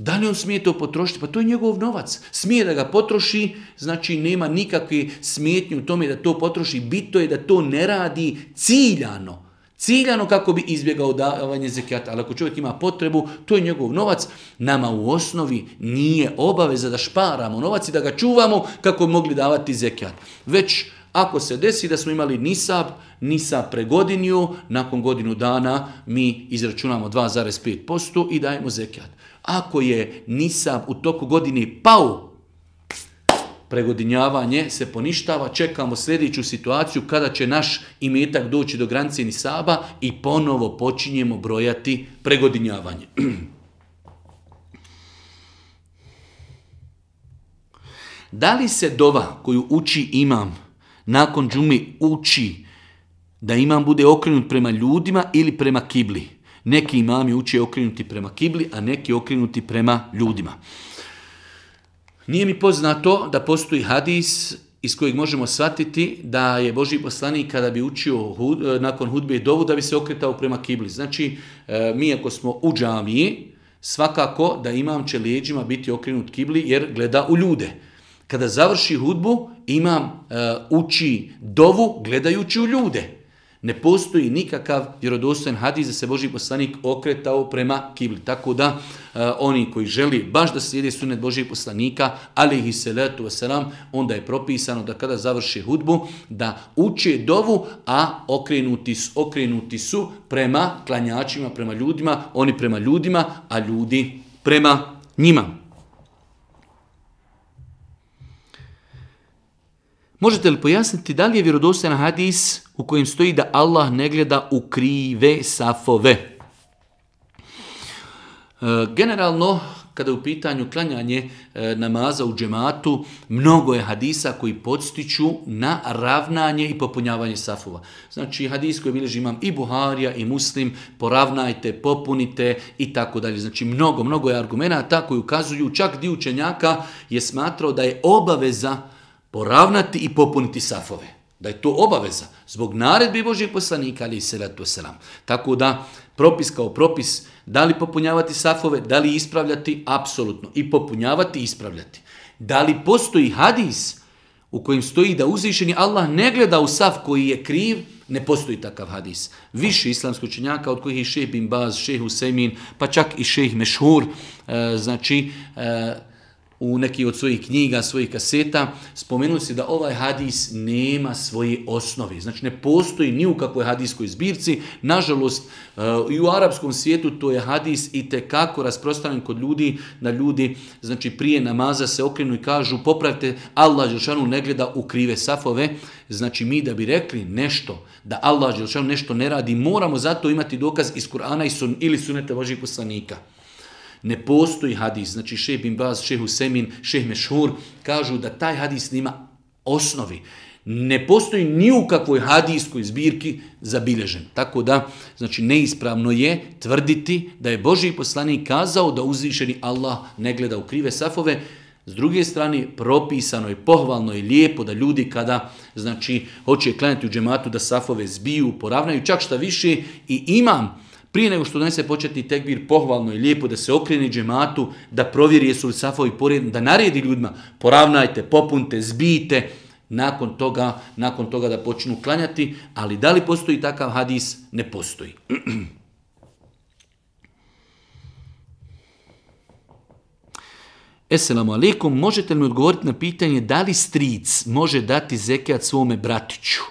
Da li on smije to potrošiti? Pa to je njegov novac. Smije da ga potroši, znači nema nikakve smetnje u tome da to potroši. Bitno je da to ne radi ciljano. Ciljano kako bi izbjegao davanje zekijata. Ali ako čovjek ima potrebu, to je njegov novac. Nama u osnovi nije obaveza da šparamo novac i da ga čuvamo kako bi mogli davati zekijat. Već ako se desi da smo imali nisab pregodinio, nakon godinu dana mi izračunamo 2,5% i dajemo zekijat. Ako je nisab u toku godine pao, pregodinjavanje se poništava, čekamo sljedeću situaciju kada će naš imetak doći do granice nisaba i ponovo počinjemo brojati pregodinjavanje. Da li se dova koju uči imam nakon džume uči da imam bude okrenut prema ljudima ili prema kibli? Neki imami uče okrenuti prema kibli, a neki okrenuti prema ljudima. Nije mi poznato da postoji hadis iz kojeg možemo shvatiti da je Božji poslanik kada bi učio nakon hudbe dovu da bi se okretao prema kibli. Znači, mi ako smo u džamiji, svakako da imam će leđima biti okrenut kibli jer gleda u ljude. Kada završi hudbu, imam uči dovu gledajući u ljude. Ne postoji nikakav vjerodostojan hadis da se Božji poslanik okretao prema kibli. Tako da oni koji želi baš da slijede sunnet Božjeg poslanika, alejhi salatu vesselam, onda je propisano da kada završi hudbu da uče dovu, a okrenuti su prema klanjačima, prema ljudima, oni prema ljudima, a ljudi prema njima. Možete li pojasniti da li je vjerodostojan hadis u kojem stoji da Allah ne gleda u krive safove? Generalno, kada je u pitanju klanjanje namaza u džematu, mnogo je hadisa koji podstiču na ravnanje i popunjavanje safova. Znači, hadis koji bilježi imam i Buharija i Muslim, poravnajte, popunite i tako dalje. Znači, mnogo je argumenata koji ukazuju, čak dio učenjaka je smatrao da je obaveza poravnati i popuniti safove. Da je to obaveza zbog naredbi Božjeg poslanika, alejhi selatu vesselam. Tako da, propis kao propis, da li popunjavati safove, da li ispravljati, apsolutno. I popunjavati i ispravljati. Da li postoji hadis u kojem stoji da uzvišeni Allah ne gleda u saf koji je kriv, ne postoji takav hadis. Više islamskih učenjaka, od kojih je šejh bin Baz, šejh Usejmin, pa čak i šejh Mešhur, znači, u neki od svojih knjiga, svojih kaseta, spomenuli se da ovaj hadis nema svoje osnove. Znači ne postoji ni u kakvoj hadijskoj zbirci. Nažalost, i u arapskom svijetu to je hadis itekako rasprostranjen kod ljudi, da ljudi znači prije namaza se okrenu i kažu popravite, Allah dželešanu ne gleda u krive safove. Znači mi da bi rekli nešto, da Allah dželešanu nešto ne radi, moramo zato imati dokaz iz Kur'ana ili suneta Božjih poslanika. Ne postoji hadis, znači šejh bin Baz, šejh Husemin, šejh Mešhur kažu da taj hadis nema osnovi. Ne postoji ni u kakvoj hadijskoj zbirki zabilježen. Tako da, znači neispravno je tvrditi da je Božji poslanik kazao da uzvišeni Allah ne gleda u krive safove. S druge strane, propisano je, pohvalno i lijepo da ljudi kada znači hoće klanjati u džematu da safove zbiju, poravnaju, čak šta više i imam prije nego što donese početni tekbir, pohvalno i lijepo da se okrene džematu, da provjeri jesu li safovi poredni, da naredi ljudima, poravnajte, popunte, zbijte, nakon toga da počnu klanjati, ali da li postoji takav hadis? Ne postoji. Esselamu alaikum, možete li mi odgovoriti na pitanje da li stric može dati zekijat svome bratiću?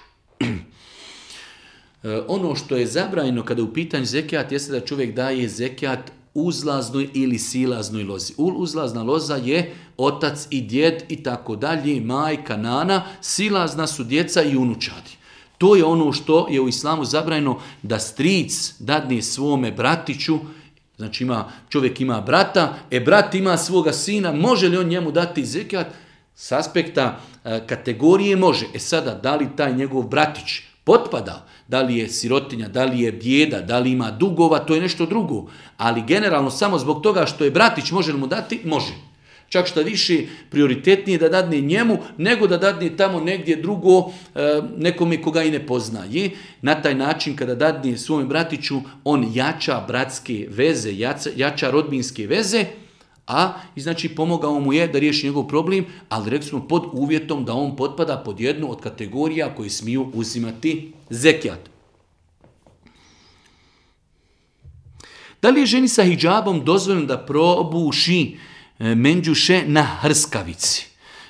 Ono što je zabranjeno kada je u pitanju zekijat jeste da čovjek daje zekijat uzlaznoj ili silaznoj lozi. Uzlazna loza je otac i djed i tako dalje, majka, nana, silazna su djeca i unučadi. To je ono što je u islamu zabranjeno da stric dadne svome bratiću. Znači čovjek ima brata, brat ima svoga sina, može li on njemu dati zekijat? S aspekta kategorije može. Sada, da li taj njegov bratić potpada, da li je sirotinja, da li je bijeda, da li ima dugova, to je nešto drugo. Ali generalno samo zbog toga što je bratić, može li mu dati? Može. Čak šta više prioritetnije da dadne njemu, nego da dadne tamo negdje drugo nekome koga i ne poznaje. Na taj način kada dadne svome bratiću, on jača bratske veze, jača rodbinske veze, a znači pomogao mu je da riješi njegov problem, ali rekli smo pod uvjetom da on potpada pod jednu od kategorija koji smiju uzimati zekijat. Da li je ženi sa hidžabom dozvoljeno da probuši menđuše na hrskavici?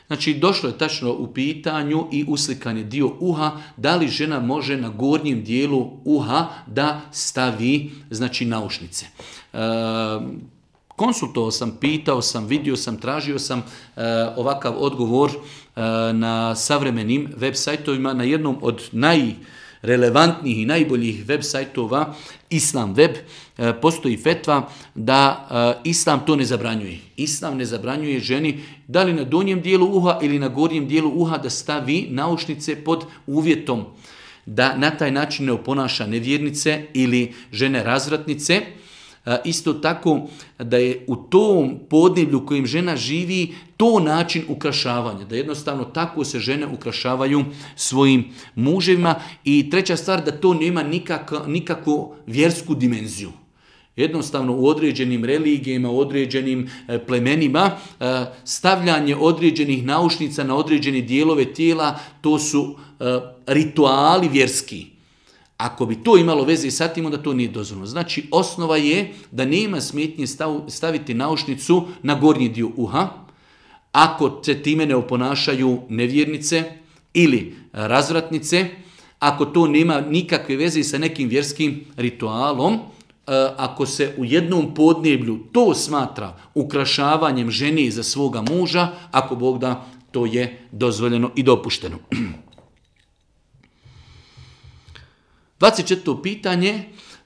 Znači došlo je tačno u pitanju i uslikan je dio uha, da li žena može na gornjem dijelu uha da stavi znači naušnice. Konsultovao sam, pitao sam, vidio sam, tražio sam ovakav odgovor na savremenim web sajtovima, na jednom od najrelevantnijih i najboljih web sajtova, Islam web, postoji fetva da Islam to ne zabranjuje. Islam ne zabranjuje ženi da li na donjem dijelu uha ili na gornjem dijelu uha da stavi naušnice pod uvjetom da na taj način ne oponaša nevjernice ili žene razvratnice. Isto tako da je u tom podneblju kojim žena živi to način ukrašavanja, da jednostavno tako se žene ukrašavaju svojim muževima. I treća stvar, da to nema nikakvu vjersku dimenziju. Jednostavno u određenim religijama, u određenim plemenima, stavljanje određenih naušnica na određene dijelove tijela, to su rituali vjerski. Ako bi to imalo veze sa tim, onda to nije dozvoljeno. Znači, osnova je da nema smetnje staviti naušnicu na gornji dio uha, ako se time ne oponašaju nevjernice ili razvratnice, ako to nema nikakve veze sa nekim vjerskim ritualom, ako se u jednom podneblju to smatra ukrašavanjem žene za svoga muža, ako Bog da, to je dozvoljeno i dopušteno. 24. pitanje,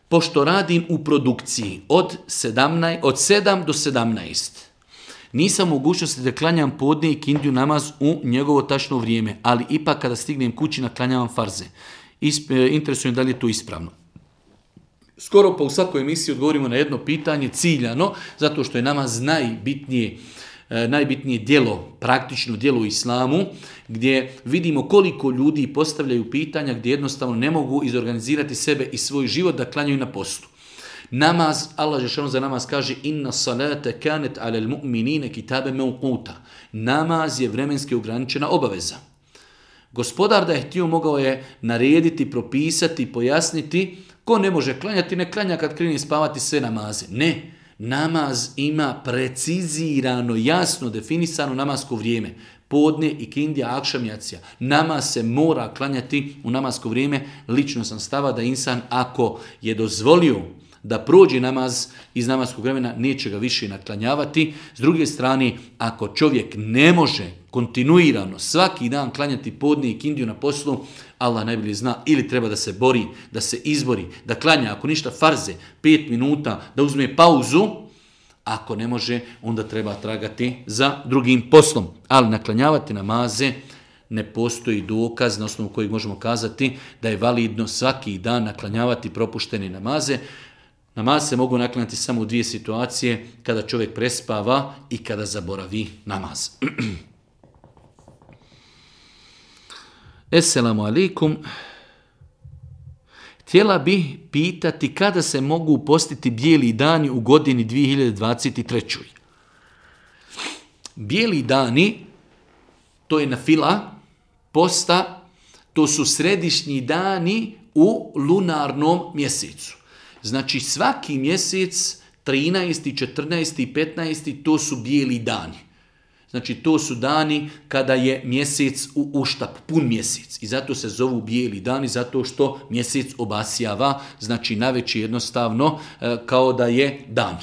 pošto radim u produkciji od 7 do 17, nisam mogućnosti da klanjam podne i kindiju namaz u njegovo tačno vrijeme, ali ipak kada stignem kući naklanjavam farze. Interesuje da li je to ispravno. Skoro pa u svakoj emisiji odgovorimo na jedno pitanje ciljano, zato što je namaz najbitnije djelo, praktično djelo u islamu, gdje vidimo koliko ljudi postavljaju pitanja gdje jednostavno ne mogu izorganizirati sebe i svoj život da klanjaju na postu. Namaz, Allah dželešanu za namaz kaže inna salate kanet alel mu'minine kitabe mevquta. Namaz je vremenski ograničena obaveza. Gospodar da je htio mogao je narediti, propisati, pojasniti ko ne može klanjati, ne klanja kad krene spavati sve namaze. Ne. namaz ima precizirano, jasno definisano namasko vrijeme. Podne, ikindija, akšam, jacija. Namaz se mora klanjati u namasko vrijeme. Lično sam stava da insan ako je dozvolio da prođe namaz iz namaskog vremena, neće ga više naklanjavati. S druge strane, ako čovjek ne može kontinuirano svaki dan klanjati podne i ikindiju na poslu, Allah najbolje zna, ili treba da se bori, da se izbori, da klanja, ako ništa farze, 5 minuta, da uzme pauzu. Ako ne može, onda treba tragati za drugim poslom. Ali naklanjavati namaze ne postoji dokaz na osnovu kojeg možemo kazati da je validno svaki dan naklanjavati propuštene namaze. Namaz se mogu naklanjati samo u 2 situacije, kada čovjek prespava i kada zaboravi namaz. Esselamu alaikum. Htjela bih pitati kada se mogu postiti bijeli dani u godini 2023. Bijeli dani, to je nafila, posta, to su središnji dani u lunarnom mjesecu. Znači svaki mjesec, 13., 14. i 15. to su bijeli dani. Znači to su dani kada je mjesec u uštap, pun mjesec. I zato se zovu bijeli dani, zato što mjesec obasjava, znači navečer jednostavno kao da je dan.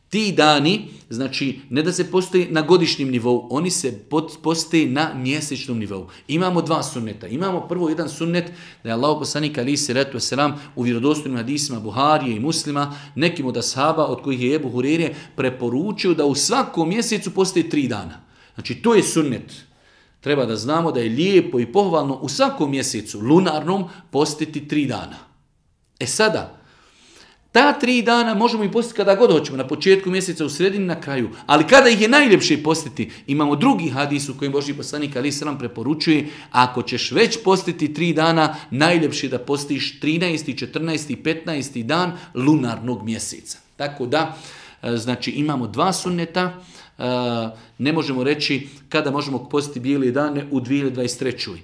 Ti dani, znači ne da se postoji na godišnjem nivou, oni se postoji na mjesečnom nivou. Imamo 2 sunneta. Imamo prvo jedan sunnet da je Allahov poslanik alejhi selatu vesselam u vjerodostojnim hadisima Buharije i Muslima, nekim od ashaba od kojih je Ebu Hureyre preporučio da u svakom mjesecu postoji 3 dana. Znači to je sunnet. Treba da znamo da je lijepo i pohvalno u svakom mjesecu lunarnom postiti 3 dana. Sada, ta 3 dana možemo i postiti kada god hoćemo, na početku mjeseca, u sredini, na kraju. Ali kada ih je najljepše postiti, imamo drugi hadis u kojem Božji poslanik alejhi selam preporučuje, ako ćeš već postiti 3 dana, najljepše da postiš 13., 14. i 15. dan lunarnog mjeseca. Tako da, znači imamo 2 sunneta, ne možemo reći kada možemo postiti bijele dane u 2023.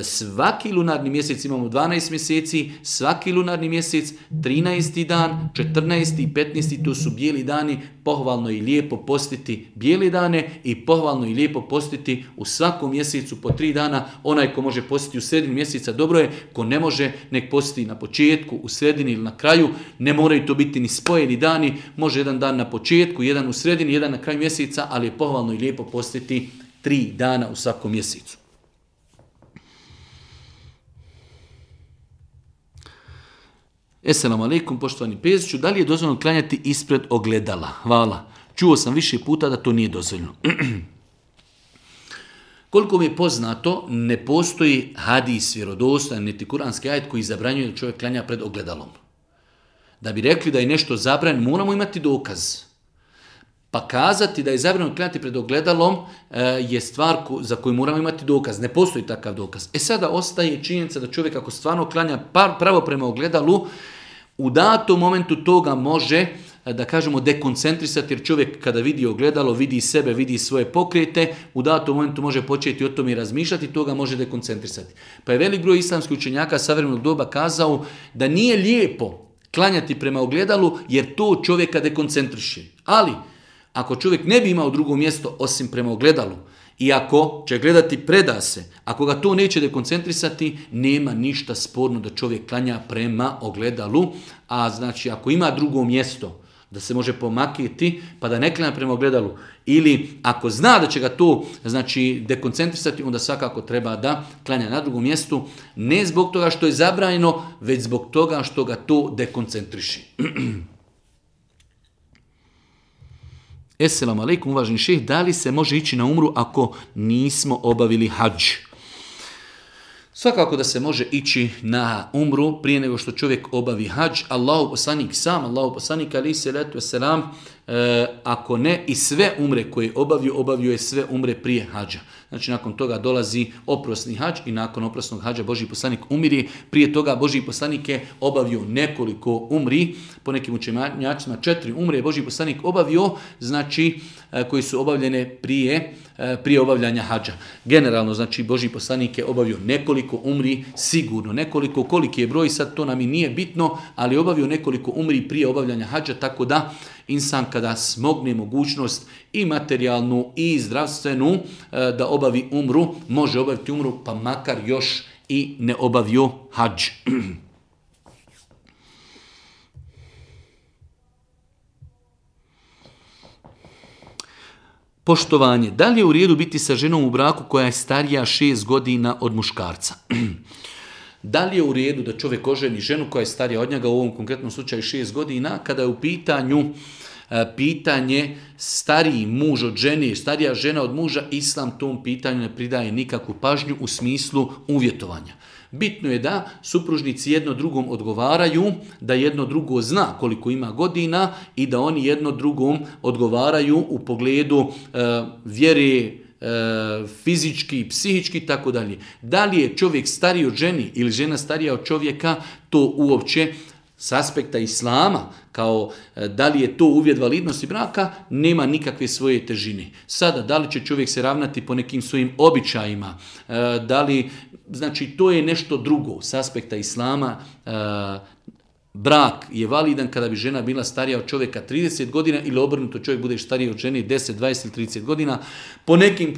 Svaki lunarni mjesec imamo 12 mjeseci, svaki lunarni mjesec, 13. dan, 14. i 15. to su bijeli dani, pohvalno i lijepo postiti bijele dane i pohvalno i lijepo postiti u svakom mjesecu po 3 dana. Onaj ko može postiti u sredini mjeseca dobro je, ko ne može nek postiti na početku, u sredini ili na kraju, ne moraju to biti ni spojeni dani, može jedan dan na početku, jedan u sredini, jedan na kraju mjeseca, ali je pohvalno i lijepo postiti 3 dana u svakom mjesecu. Esselamu alaikum, poštovani Peziću, da li je dozvoljeno klanjati ispred ogledala? Hvala. Čuo sam više puta da to nije dozvoljeno. Koliko mi je poznato, ne postoji hadis vjerodostojan niti kuranski ajet koji zabranjuje da čovjek klanja pred ogledalom. Da bi rekli da je nešto zabranjeno, moramo imati dokaz. Pa kazati da je zabranjeno klanjati pred ogledalom je stvar za koju moramo imati dokaz. Ne postoji takav dokaz. Sada ostaje činjenica da čovjek ako stvarno klanja pravo prema ogledalu, u datom momentu toga može, da kažemo, dekoncentrisati, jer čovjek kada vidi ogledalo, vidi sebe, vidi svoje pokrete, u datom momentu može početi o tome i razmišljati, toga može dekoncentrisati. Pa je velik broj islamskih učenjaka savremenog doba kazao da nije lijepo klanjati prema ogledalu, jer to čovjeka dekoncentriše. Ali ako čovjek ne bi imao drugo mjesto osim prema ogledalu i ako će gledati preda se, ako ga to neće dekoncentrisati, nema ništa sporno da čovjek klanja prema ogledalu. A znači ako ima drugo mjesto da se može pomakiti pa da ne klanja prema ogledalu, ili ako zna da će ga to znači dekoncentrisati, onda svakako treba da klanja na drugom mjestu, ne zbog toga što je zabranjeno, već zbog toga što ga to dekoncentriši. Esselamu alaikum, uvaženi šejh, da li se može ići na umru ako nismo obavili hadž? Svakako da se može ići na umru prije nego što čovjek obavi hadž. Allahov poslanik alejhi selatu vesselam, ako ne i sve umre koje obavio je sve umre prije hadža. znači nakon toga dolazi oprosni hadž i nakon oprosnog hadža Božji poslanik umiri. Prije toga Božji poslanik je obavio nekoliko umri, po nekim učenjacima 4 umre je Božji poslanik obavio, znači koji su obavljene prije obavljanja hadža. Generalno, znači Božji poslanik je obavio nekoliko umri, sigurno nekoliko, koliki je broj sad to nam i nije bitno, ali obavio nekoliko umri prije obavljanja hadža, tako da insan kada smogne mogućnost i materijalnu i zdravstvenu da obavi umru, može obaviti umru pa makar još i ne obavio hadž. Poštovanje. Da li je u redu biti sa ženom u braku koja je starija 6 godina od muškarca? Da li je u redu da čovjek oženi ženu koja je starija od njega, u ovom konkretnom slučaju 6 godina, kada je u pitanje stariji muž od žene, starija žena od muža, islam tom pitanju ne pridaje nikakvu pažnju u smislu uvjetovanja. Bitno je da supružnici jedno drugom odgovaraju, da jedno drugo zna koliko ima godina i da oni jedno drugom odgovaraju u pogledu vjere, fizički, psihički i tako dalje. Da li je čovjek stariji od ženi ili žena starija od čovjeka, to uopće s aspekta islama, kao da li je to uvjet validnosti braka, nema nikakve svoje težine. Sada, da li će čovjek se ravnati po nekim svojim običajima, da li, znači to je nešto drugo s aspekta islama. Brak je validan kada bi žena bila starija od čovjeka 30 godina ili obrnuto čovjek bude stariji od žene 10, 20 ili 30 godina. Po nekim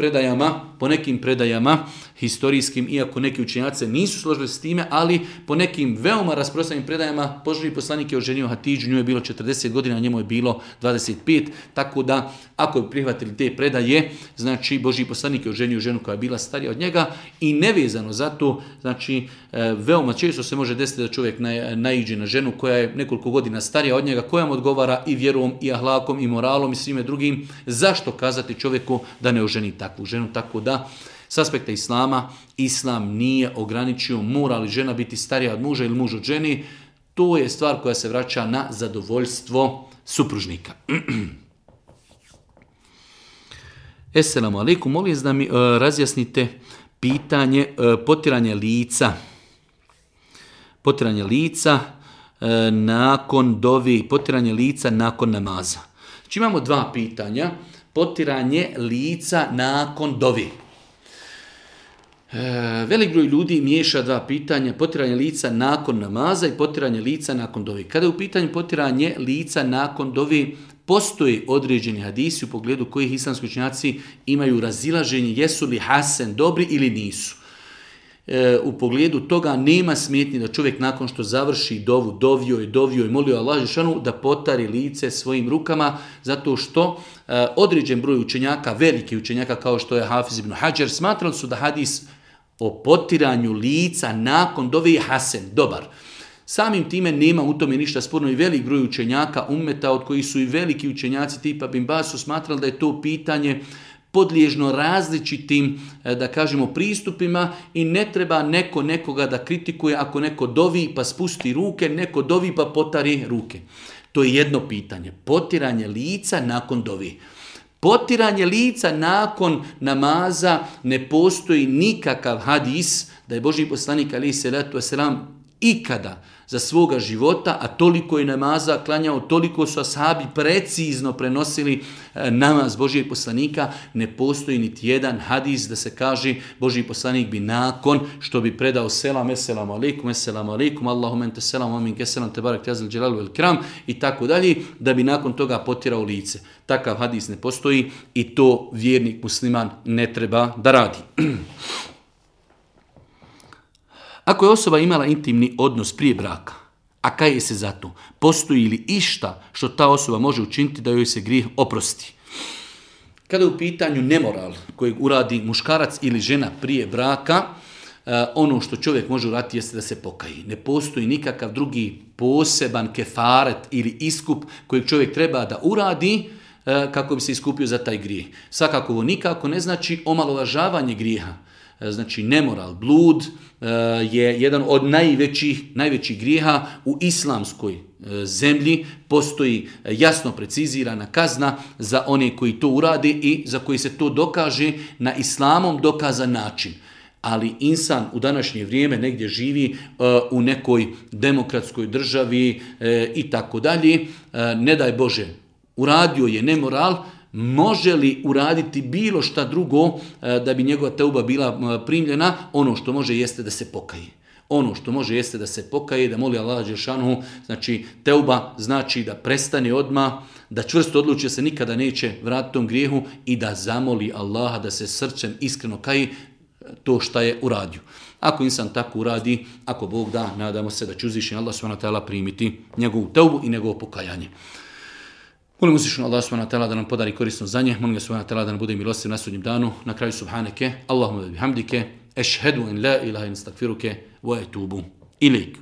predajama historijskim, iako neki učenjaci nisu složili s time, ali po nekim veoma rasprostranjenim predajama Božji poslanik je oženio Hatidžu, njoj je bilo 40 godina, njemu je bilo 25, tako da ako bi prihvatili te predaje, znači Božji poslanik je oženio ženu koja je bila starija od njega i nevezano za to, znači veoma često se može desiti da čovjek naiđe na ženu koja je nekoliko godina starija od njega, koja mu odgovara i vjerom, i ahlakom, i moralom, i svime drugim. Zašto kazati čovjeku da ne oženi takvu ženu? Tako da, s aspekta islama, islam nije ograničio mora li žena biti starija od muža ili muž od ženi. To je stvar koja se vraća na zadovoljstvo supružnika. Esselamu alaikum, molim da mi razjasnite pitanje potiranje lica. Potiranje lica nakon dovi, potiranje lica nakon namaza. Znači imamo dva pitanja. Potiranje lica nakon dovi. Velik broj ljudi miješa dva pitanja, potiranje lica nakon namaza i potiranje lica nakon dovi. Kada je u pitanju potiranje lica nakon dovi, postoje određeni hadisi u pogledu kojih islamski učenjaci imaju razilaženje jesu li hasen dobri ili nisu. U pogledu toga nema smetnje da čovjek nakon što završi dovu, dovio i molio Allah dželešanu da potari lice svojim rukama, zato što određen broj učenjaka, veliki učenjaka kao što je Hafiz ibn Hadžar, smatrali su da hadis o potiranju lica nakon dove je hasen, dobar. Samim time nema u tome ništa sporno i velik broj učenjaka ummeta, od kojih su i veliki učenjaci tipa Bin Baz su smatrali da je to pitanje podliježno različitim, da kažemo, pristupima i ne treba neko nekoga da kritikuje ako neko dovi pa spusti ruke, neko dovi pa potari ruke. To je jedno pitanje. Potiranje lica nakon dovi. Potiranje lica nakon namaza ne postoji nikakav hadis da je Božji poslanik alejhi selatu vesselam ikada za svoga života, a toliko je namaza klanjao, toliko su ashabi precizno prenosili namaz Božjeg poslanika, ne postoji niti jedan hadis da se kaže Božji poslanik bi nakon što bi predao selam, esselamu alaikum, Allahumma ente selam, wa minke selam, tebarek tezal dželalu vel kram i tako dalje, da bi nakon toga potirao lice. Takav hadis ne postoji i to vjernik musliman ne treba da radi. Ako je osoba imala intimni odnos prije braka, a kaje se za to, postoji li išta što ta osoba može učiniti da joj se grijeh oprosti? Kada je u pitanju nemoral kojeg uradi muškarac ili žena prije braka, ono što čovjek može uraditi jeste da se pokaji. Ne postoji nikakav drugi poseban kefaret ili iskup kojeg čovjek treba da uradi kako bi se iskupio za taj grijeh. Svakako ovo nikako ne znači omalovažavanje grijeha. znači nemoral, blud, je jedan od najvećih grijeha u islamskoj zemlji. Postoji jasno precizirana kazna za one koji to urade i za koji se to dokaže na islamom dokazan način. Ali insan u današnje vrijeme negdje živi u nekoj demokratskoj državi i tako dalje. Ne daj Bože, uradio je nemoral, može li uraditi bilo šta drugo da bi njegova teuba bila primljena? Ono što može jeste da se pokaje. Ono što može jeste da se pokaje, da moli Allah dželešanu, znači teuba znači da prestane odmah, da čvrsto odluči da se nikada neće vratiti tom grijehu i da zamoli Allaha da se srcem iskreno kaje to šta je uradio. Ako insan tako uradi, ako Bog da, nadamo se da će uzvišeni Allah subhanahu wa ta'ala primiti njegovu teubu i njegovo pokajanje. Molim uzvišenog Allah subhanahu wa ta'ala da nam podari korisno znanje, molim ga subhanahu wa ta'ala da nam bude milostiv na sudnjem danu. Na kraju subhaneke, Allahumma bihamdike, ešhedu in la ilaha in stakfiruke, wa etubu ilik.